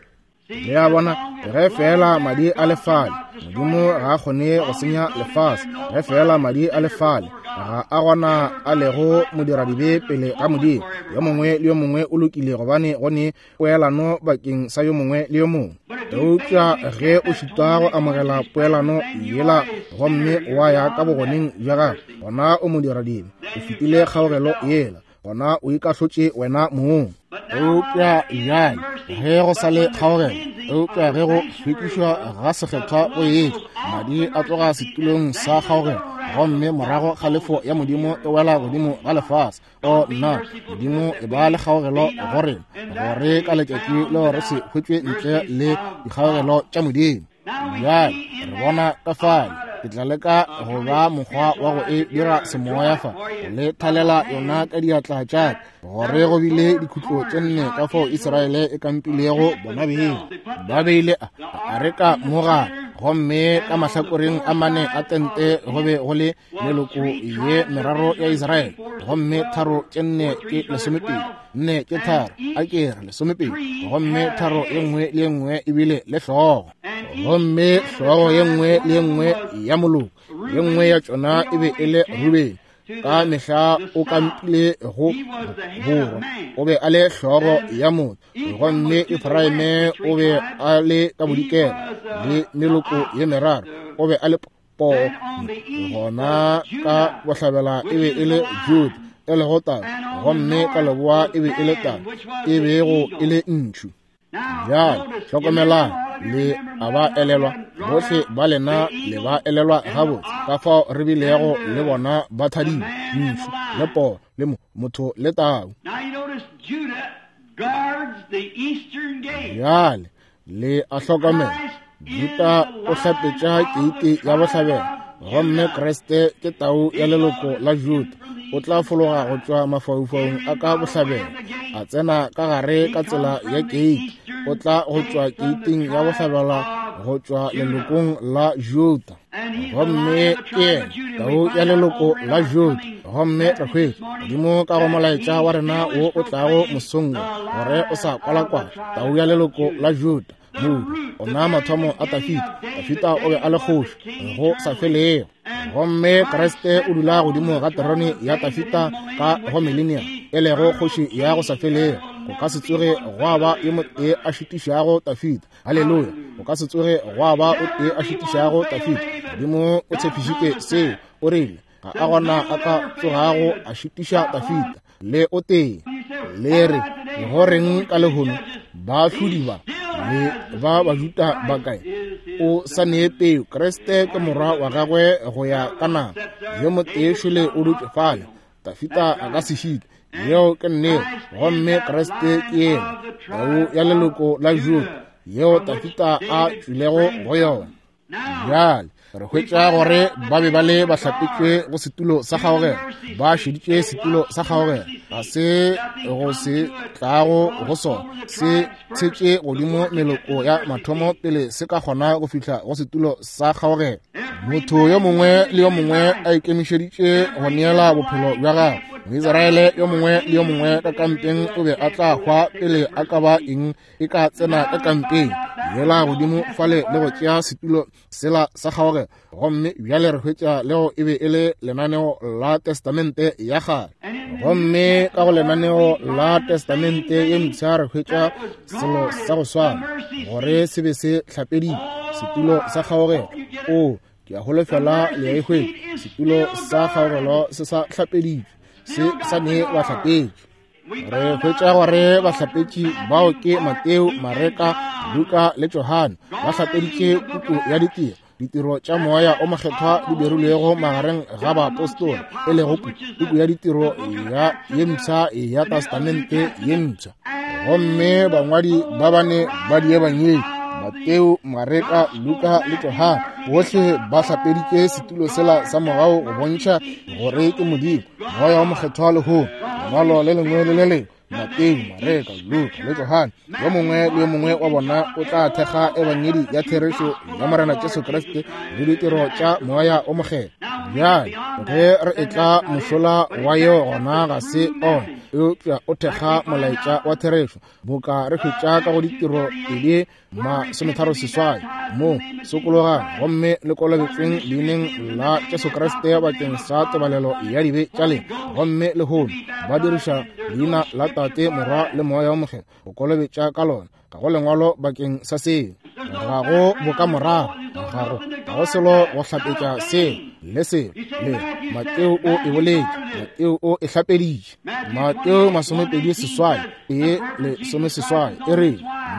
Le a bona, ge fela madi a lefale, Modimo ga a kgone go senya lefase. Ge fela madi a lefale, ga a gona a lego modiradibe pele ga Modimo. Yo mongwe le yo mongwe o lokile, gobane go ne poelano bakeng sa yo mongwe le yo mongwe. Eupša ge o šitwa go amogela poelano yela gomme wa ya ka bogoneng bja gagwe, gona o modiradibe, o fetile kgaogelo yela, gona o ikahlotše wena mong. Eupša bjale ge go sa le kgaogelo, eupša ge go hlwekišwa ga sekgethwa go etla, madi a tloga setulong sa kgaogelo, gomme morago kgalefo ya Modimo e wela godimo ga lefase. O nna, Modimo e ba le kgaogelo go rena, gore ka letšatši leo re se hwetšwe ntle le dikgaogelo tša Modimo. Bjale re bona ka fale ke tla leka go ba mokgwa wa go e dira semoya fa, go le thalela yona ka diatla tša ka, gore go bile dikhutlo tše nne ka fao Israele e kampilego bona beng. Ba beile a areka mo gare, gomme ka mahlakoreng a mane a tente go be go le meloko ye meraro ya Israele, gomme tharo tše nne ke lesomepedi, nne ke tharo, a ke re lesomepedi, gomme tharo ye nngwe le ye nngwe e bile le hlogo, gomme hlogo ye nngwe le ye nngwe ya moloko ye nngwe ya tšona e be e le Rubeni. Ka mehla o kampile go borwa, o be a le hlogo ya motho, gomme Efraime o be a le ka bodikela le meloko ye meraro, o be a le poo. Gona ka bohlabela e be e le Juda e lego tau, gomme ka leboa e be e le tau e bego e le ntšhu. Bjale hlokomelang, le a ba elelwa bohle ba lena, le ba elelwa gabotse ka fao re bilego le bona ba thadile, ntšhu le poo le motho le tau. Bjale le a hlokomela, Juda o hlapetša keiti ya bohlabela, gomme Kriste ke tau ya leloko la Juda. O tla fologa go tšwa mafaufaung a ka bohlabela, a tsena ka gare ka tsela ya keiti. O tla go tšwa keiting ya bohlabela go tšwa lelokong la Juda, gomme ke yena tau ya leloko la Juda. Gomme re hwetša Modimo ka go molaetša wa rena wo o tlago mosong wo, gore o sa kwalakwala tau ya leloko la Juda. Modu ona mathomo a Tafita, Tafita o be a le kgoši go sa felego, gomme Kriste o dula godimo ga terone ya Tafita ka go millennium, e lego kgoši ya go sa felego. Go ka se tsoge gwa ba yo motee a šitišago Tafita. Haleluya! Go ka se tsoge gwa ba o tee a šitišago Tafita. Modimo o tshepišitše seo, o rile ga a gona a ka tsogago a šitiša Tafita le o tee. Le re go reng ka lehono baahlodi ba le ba Bajuda ba kae? O sa nee peo. Kriste ke morwa wa gagwe go ya ka nama. Yo motee šole o dutše fale, Tafita a ka se šitwe. Yeo ke nnete. Gomme Kriste ke yena tau ya leloko la Juda yeo Tafita a tšwilego go yona. Bjale re hwetša gore ba be ba le ba hlapetšwe go setulo sa kgaogelo, ba šeditše setulo sa kgaogelo, ga se go se tlago go sona, se tshetše godimo meloko ya mathomo pele se ka kgona go fihla go setulo sa kgaogelo. Motho yo mongwe le yo mongwe a ikemišeditše go neela bophelo bja gagwe, Moisraele yo mongwe le yo mongwe ka kampeng o be a tla hwa pele a ka ba eng e ka tsena ka kampeng yela godimo fale le go tšea setulo sela sa kgaogelo. Gomme bjale re hwetša leo e be e le lenaneo la Testamente ya kgale. Gomme ka go lenaneo la Testamente ye mpsha re hwetša selo sa go swana, gore se be se hlapeditšwe, setulo sa kgaogelo. O, ke a holofela le a e hwetša. Setulo sa kgaogelo se sa hlapeditšwe, se sa ne bahlapetši. Re hwetša gore bahlapetši bao ke Mateo, Mareka, Luka le Johane. Ba hlapeditše puku ya ditiro, ditiro tša moya o mokgethwa di dirilwego magareng ga baapostola, e lego puku ya ditiro ya ye mpsha ya Testamente ye mpsha. Gomme bangwadi ba bane ba diebangedi, Mateo, Mareka, Luka le Johane, bohle ba hlapeditše setulo sela sa mogau go bontšha gore ke Modimo, moya wa mokgethwa lehono. Lengwalo le lengwe le le lengwe, Mateo, Mareka, Luka le Johane, yo mongwe le yo mongwe wa bona o tla thekga ebangedi ya therešo ya Morena Jesu Kriste le ditiro tša moya o mokgethwa. Bjale ge re etla mošola wa yeo gona ga se ona, eupša o thekga molaetša wa therešo, boka re hwetša ka go ditiro pedi masometharo seswai mo sokologang gomme le kolobetšweng leineng la Jesu Kriste bakeng sa tebalelo ya dibe tša lena. Gomme lehono ba diriša leina la Tate, Morwa le Moya wa Mokgethwa go kolobetša ka lona. Ga go lengwalo bakeng sa seo, ga go bokamorago, ga go ga go selo go hlapetša seo le seo le. Mateo o e boletše, Mateo o e hlapeditše. Mateo masomepedi seswai tee lesome seswai e re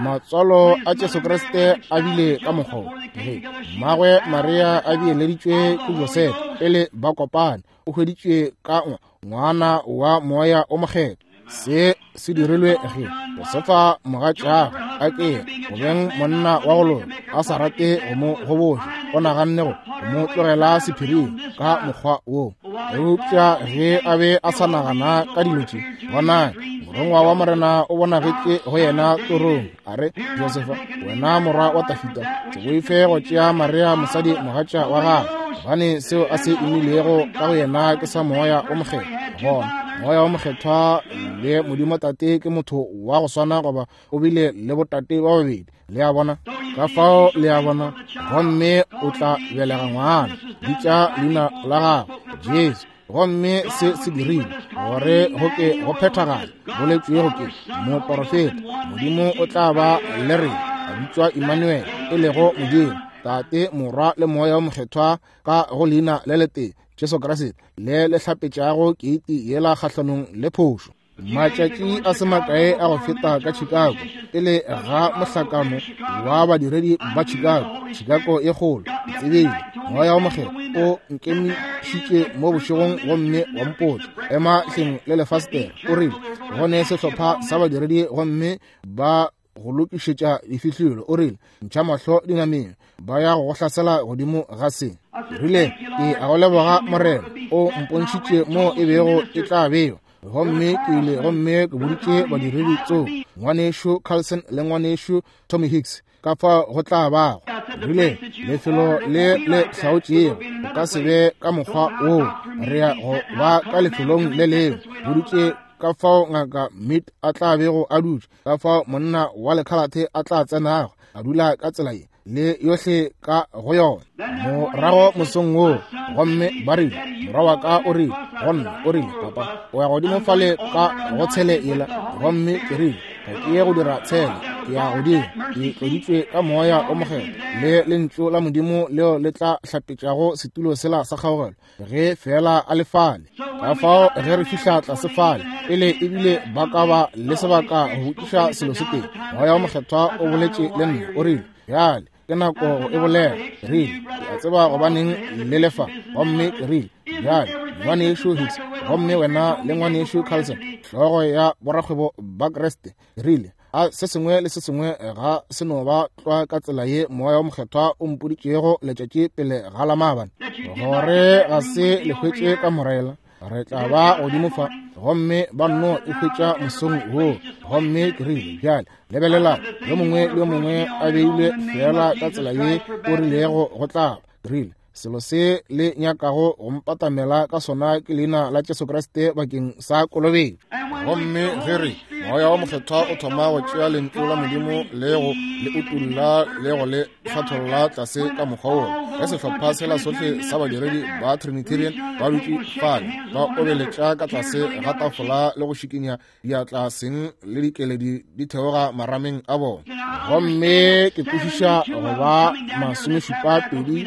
matswalo a Jesu Kriste a bile ka mokgwa ge mmagwe Maria a beeleditšwe ke Josefa pele ba kopane, o hweditšwe ka ngwana wa moya o mokgethwa. Se se dirilwe ge Josefa mogatšagwe a ke go beng monna wa go loka, a sa rate go mo goboša, o naganne go mo tlogela sephiring ka mokgwa wo. Eupša ge a be a sa nagana ka dilo tše, bonang, morongwa wa Morena o bonagetše go yena torong, a re, Josefa, wena morwa wa Tafita, se boife go tšea Maria mosadi mogatša wa gagwe, gobane seo a se imilego ka go yena ke sa moya o mokgethwa. Gona moya wa mokgethwa le Modimo Tate ke motho wa go swana, goba o bile le botate ba babedi. Le a bona? Ka fao le a bona. Gomme o tla belega ngwana, bitša leina la gagwe Jesu. Gomme se se dirile gore go ke go phethagale boletšwego ke moporofeta, Modimo o tla ba le rena, a bitšwa Emmanuel, e lego Modimo Tate, Morwa le Moya wa Mokgethwa ka go leina le letee, Jesu Kriste, le le hlapetšago keiti yela kgahlanong le phošo. Matšatši a se makae a go feta ka Chicago, pele ga mohlakano wa badiredi ba Chicago, Chicago e kgolo, ke tsebile moya wa mokgethwa o nkemišitše mo bošegong gomme wa mpotša, ema hleng le lefastere. O rile go ne sehlopha sa badiredi gomme ba go lokišetša difihlolo. O rile, ntšha mahlo dinameng, ba ya go go hlasela godimo ga se. Rile, ke a go leboga Morena, o mpontšhitše mo e bego e tla bewa. Gomme ke ile gomme ke boditše badiredi tso, ngwanešu Carlson le ngwanešu Tommy Hicks, ka fao go tla bago. Rile, lefelo le le hlaotšego o ka se be ka mokgwa woo, re ya go ba ka lefelong le lengwe. Boditše ka fao ngaka Mead a tla bego a dutše, ka fao monna wa lekhalathe a tla tsenago a dula ka tsela ye le yohle ka go yona. Morago mosong woo, gomme ba rile, morwa wa ka o rile go nna, o rile, papa, o ya godimo fale ka go tshele yela. Gomme ke rile, ga ke ye go dira tshele, ke ya godimo, ke tloditšwe ka moya o mokgethwa le lentšu la Modimo leo le tla hlapetšago setulo sela sa kgaogelo ge fela a le fale. Ka fao ge re fihla tlase fale, pele ebile ba ka ba le sebaka go botšiša selo se tee, moya wa mokgethwa o boletše le nna, o rile, bjale ke nako go e bolela. Ke rile, ke a tseba gobaneng le lefa. Gomme ke rile, bjale ngwanešu Hicks, gomme wena le ngwanešu Carlson, hlogo ya borakgwebo ba Kriste, ke rile, a se sengwe le se sengwe ga se no ba tlwa ka tsela ye moya wa mokgethwa o mpoditšego letšatši pele ga la maabane, gore ga se le hwetše ka morela, re tla ba godimo fa. Gomme ba nno e hwetša mosong woo. Gomme ke rile, bjale lebelela, yo mongwe le yo mongwe a beilwe fela ka tsela ye o rilego go tla. Ke rile, Selo se le nyakago go mpatamela ka sona ke leina la Jesu Kriste bakeng sa kolobetšo. Gomme ge re Moya wa Mokgethwa o thoma go tšea lentšu la Modimo le go le utulla le go le hlatholla tlase ka mokgwa woo, ge sehlopha sela sohle sa badiredi ba Trinitarian ba dutše fale ba obeletša ka tlase ga tafola le go šikinya diatla seng le dikeledi di theoga marameng a bona. Gomme ke kwešiša go ba masomešupa pedi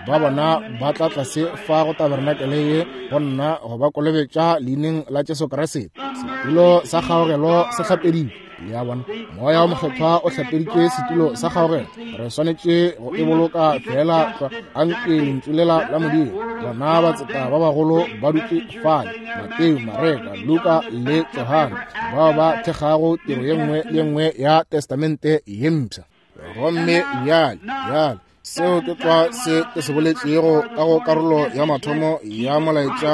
ba bona ba tla tlase fa go tabernakele ye go nna go ba kolobetša leineng la Jesu Kriste. Setulo sa kgaogelo se hlapeditšwe. Le a bona, Moya wa Mokgethwa o hlapeditše setulo sa kgaogelo. Re swanetše go e boloka fela tlwa anke lentšu lela la Modimo. Bona batseta ba bagolo ba dutše fale, Mateo, Mareka, Luka le Johane, bao ba thekgago tiro ye nngwe le ye nngwe ya Testamente ye Mpsha. Gomme bjale, bjale seo ke tlwa se ke se boletšego ka go karolo ya mathomo ya molaetša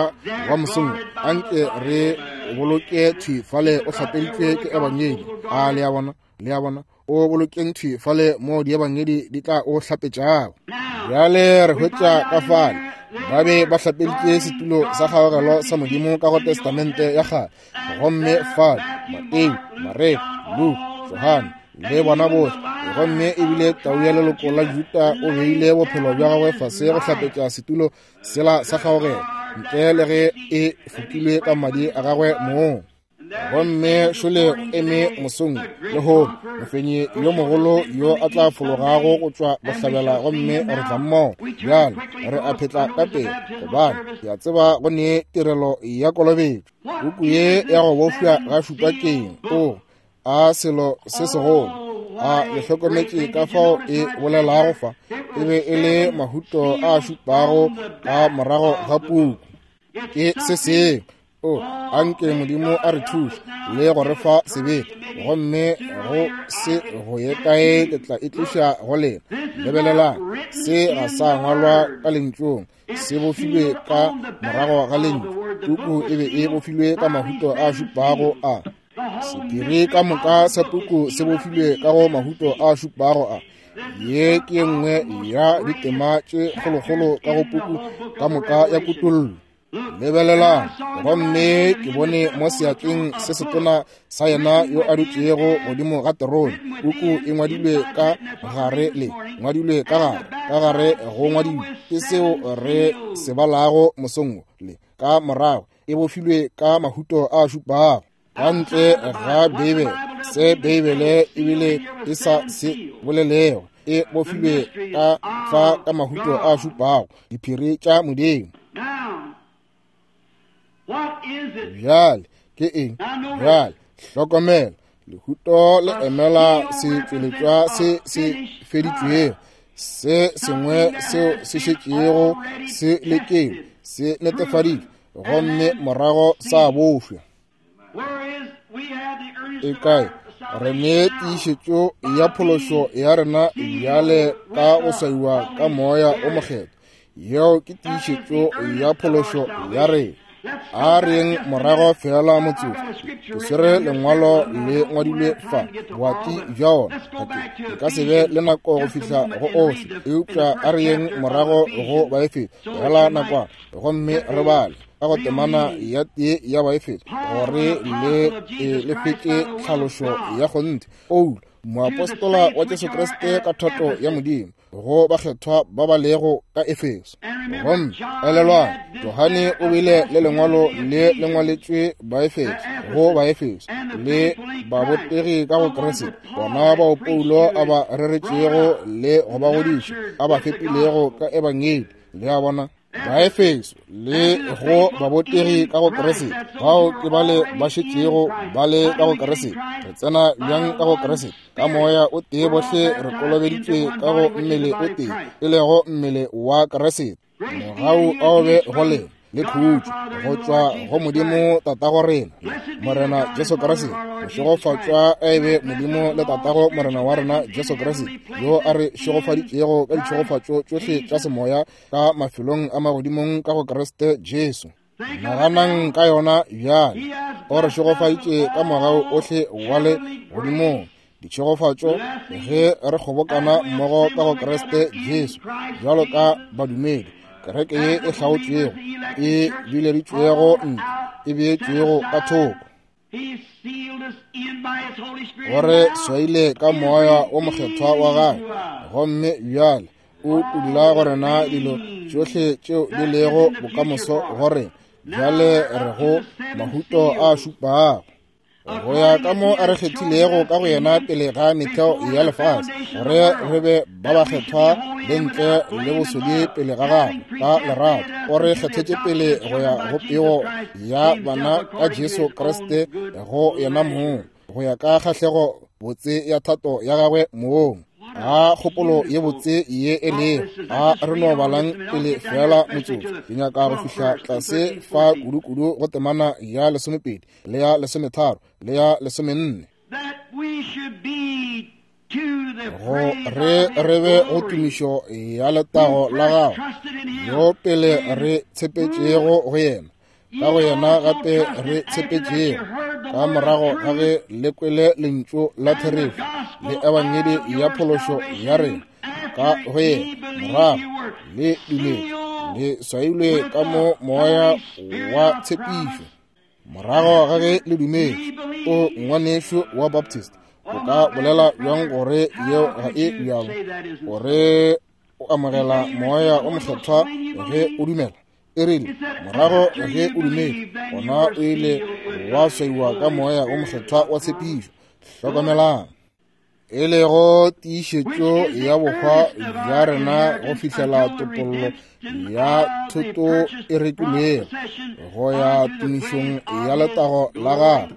wa mosong. Anke re boloke thwi fale o hlapeditšwe ke ebangedi. A le a bona, le a bona, o bolokeng thwi fale mo diebangedi di tla o hlapetšago. Bjale re hwetša ka fale ba be ba hlapeditše setulo sa kgaogelo sa Modimo ka go Testamente ya kgale. Gomme fale Mateo, Mareka, Luka, Johane le bona bohle, gomme ebile tau ya leloko la Juta o beile bophelo bja gagwe fase go hlapetša setulo sela sa kgaogelo, ntle le ge e fokilwe ka madi a gagwe mong. Gomme šole eme mosong lehono mofenyi yo mogolo yo a tla fologago go tšwa bohlabela, gomme re tla mmogo. Bjale re a phetla ka pele, gobane ke a tseba go ne tirelo ya kolobetšo. Puku ye ya go bofša ga šupa keng? O a selo se segolo. A le hlokometše ka fao e bolelago fa? E be e le mahuto a šupago ka morago ga puku. Ke se sengwe. O anke Modimo a re thuše le go re fa sebete, gomme go se go ye kae ke tla e tliša go lena. Lebelelang, se ga sa ngwalwa ka lentšung, se bofilwe ka morago ga lentšu. Puku e be e bofilwe ka mahuto a šupago a. Sephiri ka moka sa puku se bofilwe ka go mahuto a šupago a. Ye ke ye nngwe ya ditema tše kgolokgolo ka go puku ka moka ya Kutollo. Lebelelang, gomme ke bone mo seatleng se setona sa yena yo a dutšego godimo ga terone puku e ngwadilwe ka gare le ngwadilwe ka gare, ka gare go ngwadilwe ke seo re se balago mosong le ka morago e bofilwe ka mahuto a šupago. Ka ntle ga Beibele, se Beibele ebile e sa se bolelego, e bofilwe ka fa ka mahuto a šupago, diphiri tša Modimo. Bjale ke eng? Bjale hlokomela, lehuto le emela setšweletšwa se se feditšwego, se sengwe seo se šetšego se lekilwe, se netefaditšwe, gomme morago sa bofša. E kae? Re ne tiišetšo ya phološo ya rena bjale ka go swaiwa ka Moya o Mokgethwa. Yeo ke tiišetšo ya phološo ya rena. A reng morago fela motsotso. Ke swere lengwalo le ngwadilwe fa, boati bja ona. Ke ka se be le nako go fihla go ohle, eupša a re yeng morago go Baefeso fela nakwana, gomme re bale ka go temana ya tee ya Baefeso gore le e le fetše tlhalošo ya kgonthe. Paulo, moapostola wa Jesu Kriste ka thato ya Modimo, go bakgethwa ba ba lego ka Efeso. Gomme elelwang, Johane o bile le lengwalo le le ngwaletšwe Baefeso, go Baefeso le babotegi ka go Kriste, bona bao Paulo a ba reretšego le go ba godiša, a ba fepilego ka ebangedi. Le a bona, Baefeso le go babotegi ka go Kriste, bao ke bale ba šetšego ba le ka go Kriste. Re tsena bjang ka go Kriste? Ka Moya o tee bohle re kolobeditšwe ka go mmele o tee, e lego mmele wa Kriste. Mogau a o be go lena le khutšo go tšwa go Modimo Tatago rena, Morena Jesu Kriste. Mošegofatšwa a e be Modimo le Tatago Morena wa rena Jesu Kriste, yo a re šegofaditšego ka ditšhegofatšo tšohle tša semoya ka mafelong a magodimong ka go Kriste Jesu. Naganang ka yona bjale. O re šegofaditše ka mogau ohle wa le godimong, ditšhegofatšo ge re kgobokana mmogo ka go Kriste Jesu bjalo ka badumedi. Kereke ye e hlaotšwego, e bileditšwego ntle, e beetšwego ka thoko, gore swaile ka moya o mokgethwa wa gagwe, gomme bjale o dula go rena dilo tšohle tšeo di lego bokamoso go rena. Bjale re go mahuto a šupago, go ya ka mo a re kgethilego ka go yena pele ga metheo ya lefase, gore re be ba bakgethwa le ntle le bosodi pele ga gagwe ka lerato. O re kgethetše pele go ya go pego ya bana ka Jesu Kriste go yena mong, go ya ka kgahlego botse ya thato ya gagwe mong. A kgopolo ye botse ye e lego, a re no balang pele fela motsotso. Ke nyaka go fihla tlase fa kudu-kudu go temana ya lesomepedi le ya lesometharo le ya lesomenne, go re re be go tumišo ya letago la gagwe, yo pele re tshepetšego go yena, ka go yena gape re tshepetšego ka morago ga ge le kwele lentšu la therešo le ebangedi ya phološo ya rena, ka go yena morago le dumetše, le swailwe ka mo moya wa tshepišo. Morago ga ge le dumetše, o ngwanešu wa Baptist, o ka bolela bjang gore yeo ga e bjalo, gore o amogela moya o mokgethwa ge o dumela? E rile morago ge o dumetše, gona o ile wa swaiwa ka moya o mokgethwa wa tshepišo. Hlokomelang, e lego tiišetšo ya bohwa bja rena go fihlela topollo ya thoto e rekilwego go ya tumišong ya letago la gagwe.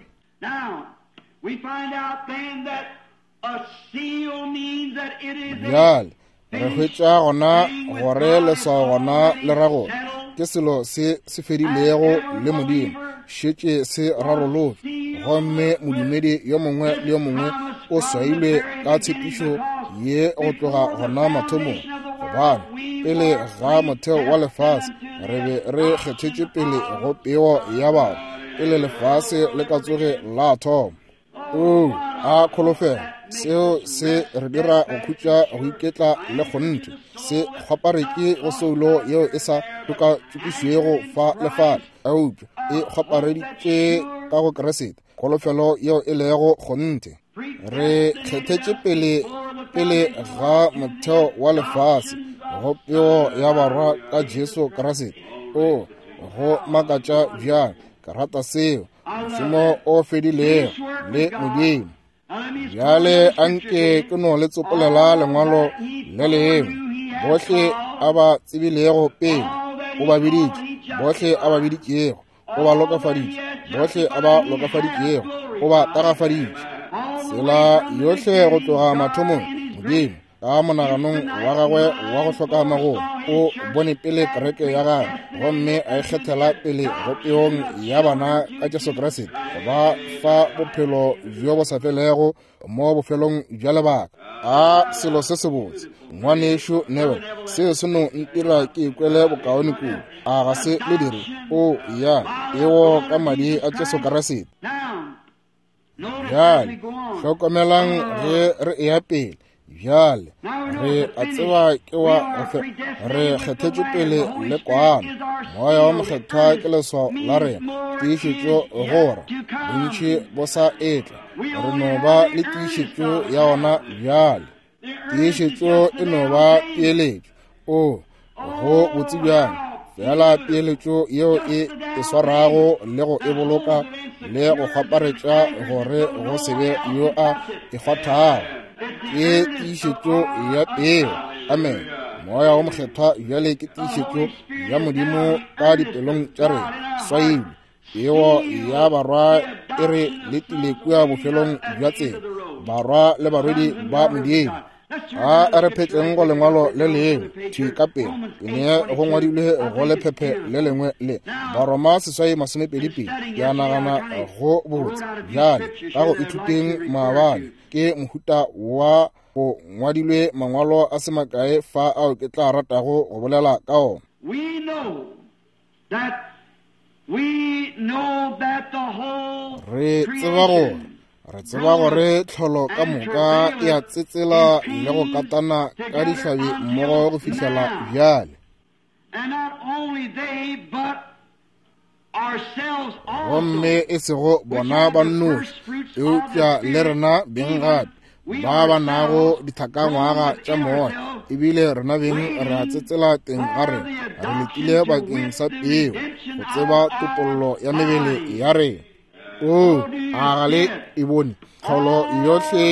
Bjale re hwetša gona gore leswao gona le ra gore ke selo se se fedilego le Modimo, šetše se rarolotšwe, gomme modumedi yo mongwe le yo mongwe o swailwe ka tshepišo ye go tloga gona mathomong. Gobane pele ga motheo wa lefase re be re kgethetše pele go peo ya batho, pele lefase le ka tsoge la thoma. O a kholofelo, seo se re dira go khutša, go iketla le kgonthe, se kgwaparetše go soulo yeo e sa tšokatšokišwego fa le fale, eupša e kgwapareditše ka go Kriste, kholofelo yeo e lego kgonthe. Re kgethetše pele pele ga motheo wa lefase go peo ya barwa ka Jesu Kriste. O go makatša bjang, ke rata seo, mošomo o fedilego le Modimo. Bjale anke ke no le tsopolela lengwalo le lengwe. Bohle a ba tsebilego pele o ba biditše, bohle a ba biditšego o ba lokafaditše, bohle a ba lokafaditšego o ba tagafaditše. Tsela yohle go tloga mathomong, Modimo ka monaganong wa gagwe wa go hloka magolo o bone pele kereke ya gagwe, gomme a e kgethela pele go peong ya bana ka Jesu Kriste, go ba fa bophelo bjo bo sa felego mo bofelong bja lebaka. A selo se sebotse, ngwanešu Neville, seo se no ntira ke ikwele bokaone kudu. A ga se le dire? O ya eo ka madi a Jesu Kriste. Bjale hlokomelang ge re eya pele. Bjale re a tseba ke wa re kgethetšwe pele le kwana. Moya wa mokgethwa ke leswao la rena, tiišetšo gore bontši bo sa etla, re no ba le tiišetšo ya ona bjale. Tiišetšo e no ba peeletšo. O go botse bjang, fela peeletšo yeo e e swarago le go e boloka le go kgwaparetša gore go se be yo a e kgwathago, ke tiišetšo ya peo. Amen. Moya wa mokgethwa bjale ke tiišetšo ya Modimo ka dipelong tša rena, swailwe. Peo ya barwa e re letile kua bofelong bja tsela, barwa le barwedi ba Modimo. A re phetleng go lengwalo le lengwe thwi ka pele, ke ne go ngwadilwe go lephephe le lengwe le Baroma seswai masomepedi pedi. Ke a nagana go botse bjale ka go ithuteng maabane ke mohuta wa go ngwadilwe mangwalo a se makae fa ao ke tla ratago go bolela ka ona. Re tseba gore re tseba gore tlholo ka moka e a tsetsela le go katana ka dihlabi mmogo go fihlela bjale. Gomme e sego bona ba nnoši, eupša le rena beng gape ba ba nago dithakangwaga tša moya, ebile rena beng re a tsetsela teng ga rena, re letile bakeng sa peo go tseba topollo ya mebele ya rena. O a ga le e bone? Tlholo yohle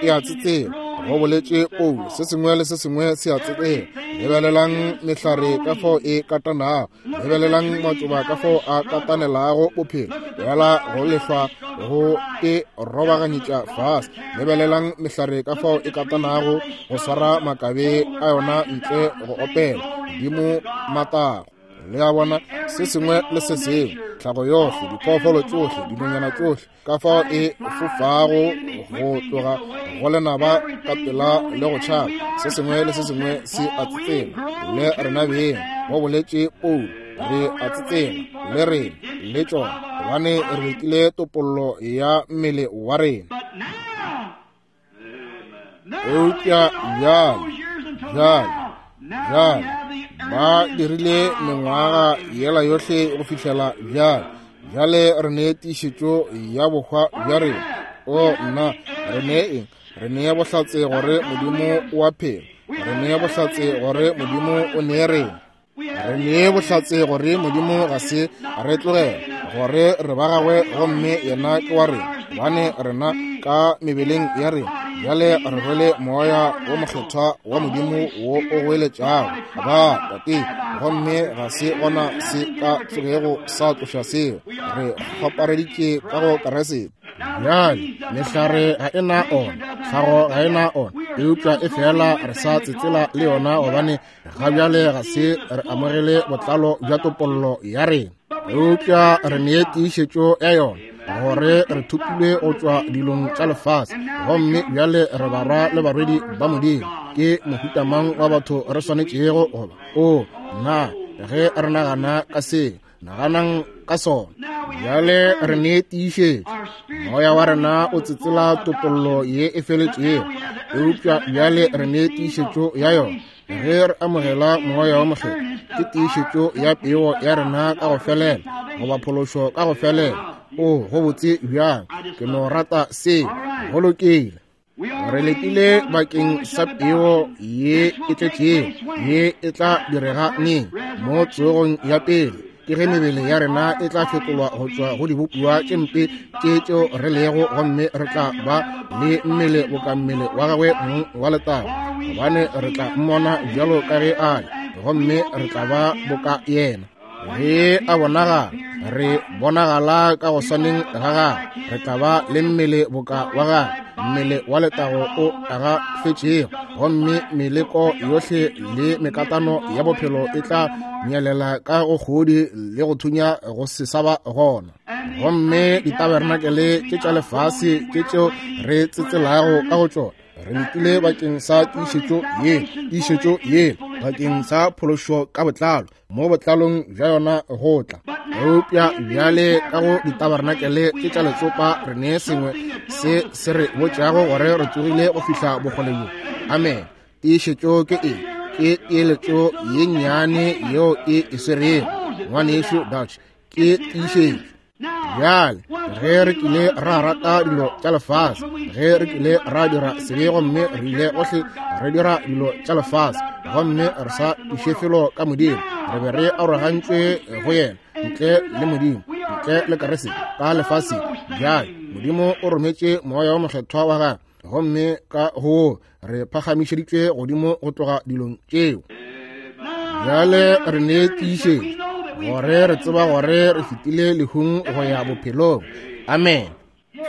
e a tsetsela, go boletše Paulo. Se sengwe le se sengwe se a tsetsela. Lebelelang mehlare ka fao e katanago, lebelelang matšoba ka fao a katanelago bophelo, bjala go lehlwa go e robaganyetša fase. Lebelelang mehlare ka fao e katanago go swara makabe a yona ntle go opela godimo matago. Le a bona, se sengwe le se sengwe, tlhago yohle, diphoofolo tšohle, dinonyana tšohle, ka fao e fofago go tloga go lenaba ka pela le go tšhaba, se sengwe le se sengwe se a tsetsela. Le rena beng, go boletše Paulo, re a tsetsela le rena le tšona, gobane re letile topollo ya mmele wa rena. Eupša bjale, bjale, bjale ba dirile mengwaga yela yohle go fihlela bjale. Bjale re nee tiišetšo ya bohwa bja rena. O nna, re nee eng? Re nee bohlatse gore Modimo o a phela. Re nee bohlatse gore Modimo o nee rena. Re nee bohlatse gore Modimo ga se re tlogela, gore re ba gagwe gomme yena ke wa rena, gobane rena ka mebeleng ya rena bjale re rwele moya wo mokgethwa wa Modimo wo o goeletšago ba Tate, gomme ga se gona se ka tsogego sa tloša seo. Re kgopareditše ka go Kriste. Bjale mehlare ga e na ona, tlhago ga e na ona, eupša e fela re sa tsetsela le yona, gobane ga bjale ga se re amogele botlalo bja topollo ya rena, eupša re nee tiišetšo ya yona, gore re thopilwe go tšwa dilong tša lefase, gomme bjale re barwa le barwedi ba Modimo. Ke mohuta mang wa batho re swanetšego go ba? O nna, ge re nagana ka se, naganang ka sona. Bjale re nee tiišetšo, moya wa rena o tsetsela topollo ye e feletšego, eupša bjale re nee tiišetšo ya yona ge re amogela moya wa mokgethwa. Ke tiišetšo ya peo ya rena ka go felela, goba phološo ka go felela. O go botse bjang, ke no rata se. Go lokile. Re letile bakeng sa peo ye e tletšego, ye e tla direga neng? Mo tsogong ya pele, ke ge mebele ya rena e tla fetolwa go tšwa go dibopiwa tše mpe tše tšeo re lego, gomme re tla ba le mmele boka mmele wa gagwe mong wa letago, gobane re tla mmona bjalo ka ge a le, gomme re tla ba boka yena. Ge a bonagala, re bonagala ka go swaneng ga gagwe, re tla ba le mmele boka wa gagwe, mmele wa letago o agafetšego, gomme meleko yohle le mekatano ya bophelo e tla nyelela ka go kgodi le go thunya go se sa ba gona. Gomme ditabernakele tše tša lefase tše tšeo re tsetselago ka go tšona, re letile bakeng sa tiišetšo ye, tiišetšo ye bakeng sa phološo ka botlalo, mo botlalong bja yona go tla. Eupša bjale ka go ditabernakele tše tša letsopa re nee sengwe se se re botšago gore re tsogile go fihla bokgole bjo. Amen. Tiišetšo ke eng? Ke peeletšo ye nnyane yeo e e swerego, ngwanešu Dutch. Ke tiišetšo. Bjale ge re kile ra rata dilo tša lefase, ge re kile ra dira sebe gomme re ile gohle re dira dilo tša lefase, gomme re sa iše felo ka Modimo, re be re arogantšwe go yena, ntle le Modimo, ntle le Kriste ka lefaseng. Bjale Modimo o rometše moya wa mokgethwa wa gagwe, gomme ka go re phagamišeditšwe godimo go tloga dilong tšeo. Bjale re nee tiišetšo gore re tseba gore re fetile lehung go ya bophelong. Amen.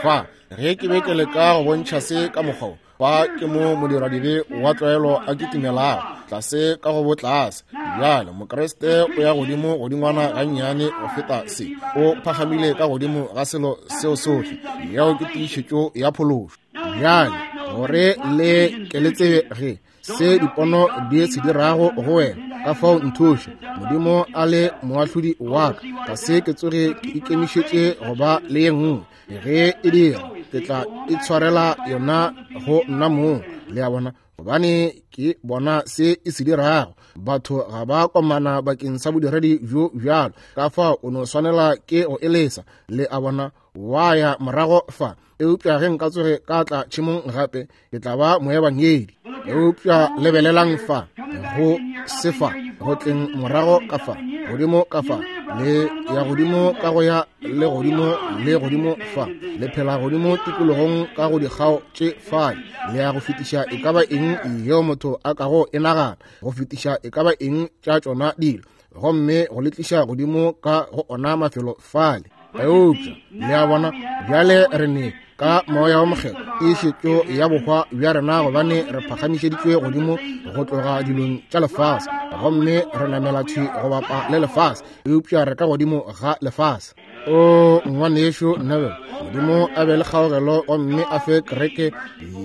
Fa ge ke be ke leka go bontšha se ka mokgwa, fa ke mo modiradibe wa tlwaelo a kitimelago tlase ka go botlase. Bjale Mokriste o ya godimo godingwana gannyane go feta se, o phagamile ka godimo ga selo seo sohle. Yeo ke tiišetšo ya phološo. Bjale gore le ke le tsebe ge se dipono di se dirago go wena, ka fao nthuše Modimo a le moahlodi wa ka, ga se ke tsoge ke ikemišetše go ba le ye nngwe. Ge e dira, ke tla itshwarela yona go nna mong. Le a bona? gobane ke bona se e se dirago. Batho ga ba komana bakeng sa bodiredi bjo bjalo, ka fao o no swanela ke go elesa, le a bona, wa ya morago fa. Eupša ge nka tsoge ka tla tšhemong gape, ke tla ba moebangedi. Eupša lebelelang fa, go sefa, go tleng morago ka fa, godimo ka fa, le ya godimo ka go ya le godimo le godimo fa, le phela godimo tikologong ka go dikgao tše fale, le ya go fetiša e ka ba eng yeo motho a kago e nagana, go fetiša e ka ba eng tša tšona dilo, gomme go le tliša godimo ka go ona mafelo fale. Eupša le a bona, bjale re ne ka Moya wo Mokgethwa tiišetšo ya bohwa bja rena, gobane re phagamišeditšwe godimo go tloga dilong tša lefase, gomme re namela thwi go bapa le lefase, eupša re ka godimo ga lefase. O ngwanešu Neville, Modimo a be le kgaogelo gomme a fe kereke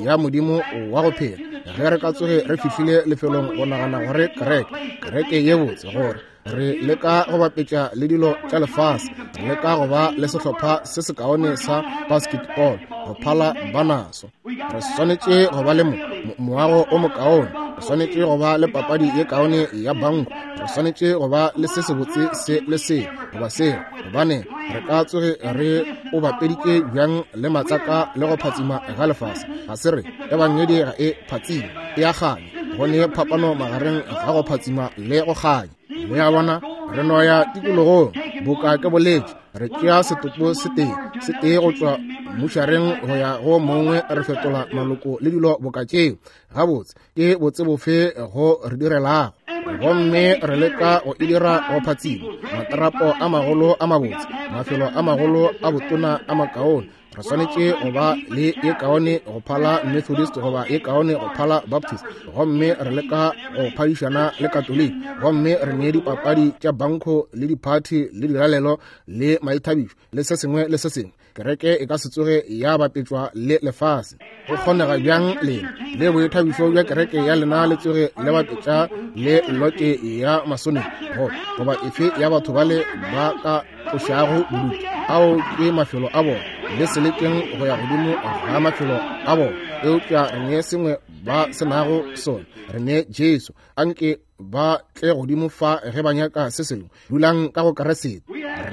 ya Modimo wa go phela. Ge re ka tsoge re fihlile lefelong go nagana gore kereke, kereke ye botse, gore re leka go bapetša le dilo tša lefase, re leka go ba le sehlopha se sekaone sa basketball go phala ba naso, re swanetše go ba le mo moago o mokaone, re swanetše go ba le papadi ye kaone ya banko, re swanetše go ba le se sebotse se le se goba se, gobane re ka tsoge re o bapeditše bjang le matsaka le go phatsima ga lefase. Ga se re ebangedi ga e phatsime, e a kganya. Go ne phapano magareng ga go phatsima le go kganya. Le a bona, re no ya tikologong boka ke boletše, re tšea setopo se tee se tee go tšwa mmušareng go ya go mongwe, re fetola maloko le dilo boka tšeo. Gabotse ke botse bofe go re direlago? Gomme re leka go e dira go phatsima, matarapo a magolo a mabotse, mafelo a magolo a botona a makaone. Re swanetše go ba le ye kaone go phala Methodist goba ye kaone go phala Baptist, gomme re leka go phadišana le Katoliki, gomme re ne dipapadi tša banko le diphathi le dilalelo le maithabišo le se sengwe le se sengwe. Kereke e ka se tsoge ya bapetšwa le lefase. Go kgonega bjang lena le boithabišo bja kereke ya lena le tsoge le bapetša le lote ya masone go goba efe ya batho bale ba ka tlošago bodutu? Ao ke mafelo a bona, le se lekeng go ya godimo ga mafelo a bona. Eupša re ne sengwe ba se nago sona, re ne Jesu. Anke ba tle godimo fa ge ba nyaka se sengwe. Dulang ka go Keresete.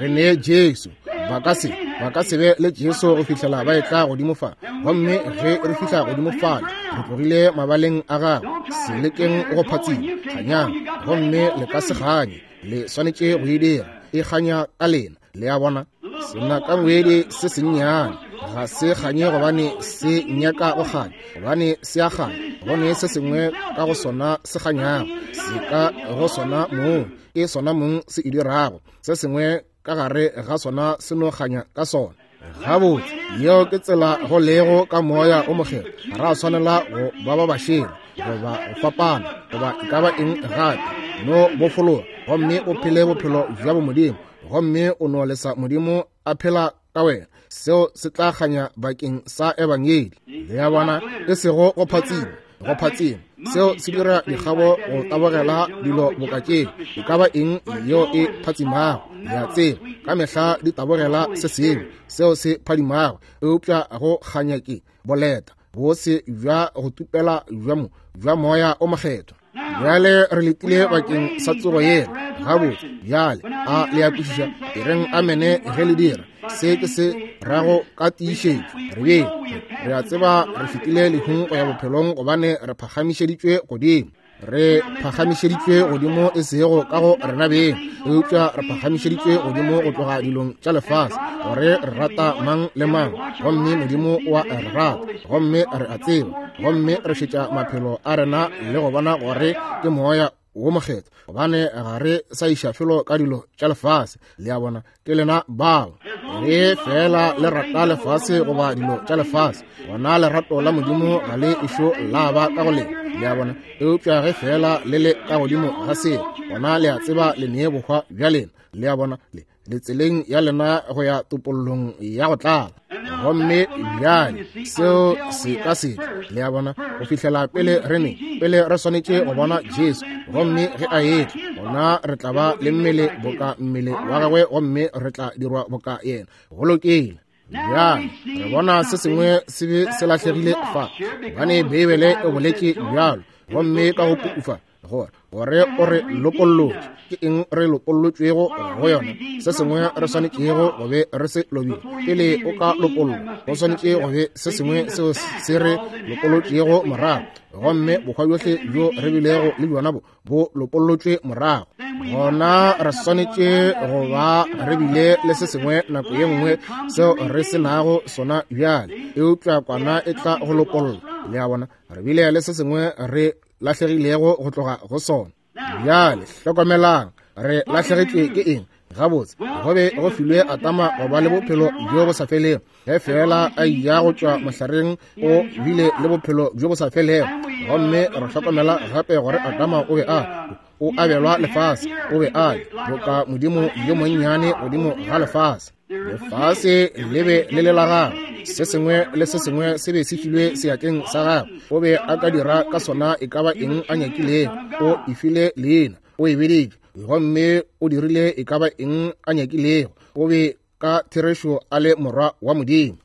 Re ne Jesu. Ba ka se ba ka se be le Jesu go fihlela ba etla godimo fa. Gomme ge re fihla godimo fale, re tlogile mabaleng a gagwe. Se lekeng go phatsima, kganyang, gomme le ka se kganye. Le swanetše go e dira, e kganya ka lena. Le a bona, senakangwedi se sennyane ga se kganye gobane se nyaka go kganya, gobane se a kganya, gone se sengwe ka go sona se kganyago, se ka go sona mong, ke sona mong se e dirago, se sengwe ka gare ga sona se no kganya ka sona. Gabotse, yeo ke tsela go lego ka Moya o Mokgethwa. Ga ra swanela go ba ba bašele goba go fapana goba e ka ba eng gape. No bofologa gomme o phele bophelo bja bomodimo, gomme o no lesa Modimo a phela ka wena. Seo se tla kganya bakeng sa ebangedi. Le a bona, e sego go phatsima, go phatsima. Seo se dira dikgabo go tabogela dilo boka tšeo, e ka ba eng yeo e phatsimago. Le a tseba, ka mehla di tabogela se sengwe seo se phadimago, eupša go kganya ke boleta, bose bja go tupela bja mo bja Moya o Mokgethwa. Bjale re letile bakeng sa tsogo yela. Gabotse, bjale a le a kwešiša? E reng amene ge le dira. Se ke se rago ka tiišetšo. Re beng re a tseba re fetile lehung go ya bophelong, gobane re phagamišeditšwe godimo. Re phagamišeditšwe godimo e sego ka go rena beng, eupša re phagamišeditšwe godimo go tloga dilong tša lefase, gore re rata mang le mang, gomme Modimo o a re rata, gomme re a tseba, gomme re šetša maphelo a rena le go bona gore ke Moya wo Mokgethwa, gobane ga re sa iša felo ka dilo tša lefase. Le a bona, ke lena bao. Ge fela le rata lefase goba dilo tša lefase, gona lerato la Modimo ga le ešo la ba ka go lena. Le a bona, eupša ge fela le le ka godimo ga seo, gona le a tseba le nee bohwa bja lena. Le a bona, le le tseleng ya lena go ya topollong ya go tlala. Gomme bjale seo se ka se tle. Le a bona, go fihlela pele re ne pele re swanetše go bona Jesu, gomme ge a etla, gona re tla ba le mmele boka mmele wa gagwe, gomme re tla dirwa boka yena. Go lokile. Bjale re bona se sengwe se be se lahlegile fa, gobane Beibele e boletše bjalo, gomme ka go pukufa gore gore o re lokollotše. Ke eng re lokollotšwego go yona? Se sengwe re swanetšego go be re se lobile. Pele o ka lokollwa, go swanetše go be se sengwe seo se re lokollotšego morago, gomme bokgwa bjohle bjo re bilego le bjona bo bo lokollotšwe morago. Gona re swanetše go ba re bile le se sengwe nako ye nngwe seo re se nago sona bjale, eupša kwana e tla go lokolla. Le a bona, re bile le se sengwe re lahlegilego go tloga go sona. Bjale hlokomelang, re lahlegetšwe ke eng? Gabotse, go be go filwe Adama go ba le bophelo bjo bo sa felego. Ge fela a eya go tšwa mohlareng, o bile le bophelo bjo bo sa felego. Gomme re hlokomela gape gore Adama o be a o abelwa lefase, o be a le boka modimo yo monnyane godimo ga lefase. Lefase le be le le la gagwe, se sengwe le se sengwe se be se filwe seatleng sa gagwe. O be a ka dira ka sona e ka ba eng a nyakilego. O e file leina, o e beditše, gomme o dirile e ka ba eng a nyakilego. O be ka therešo a le morwa wa Modimo.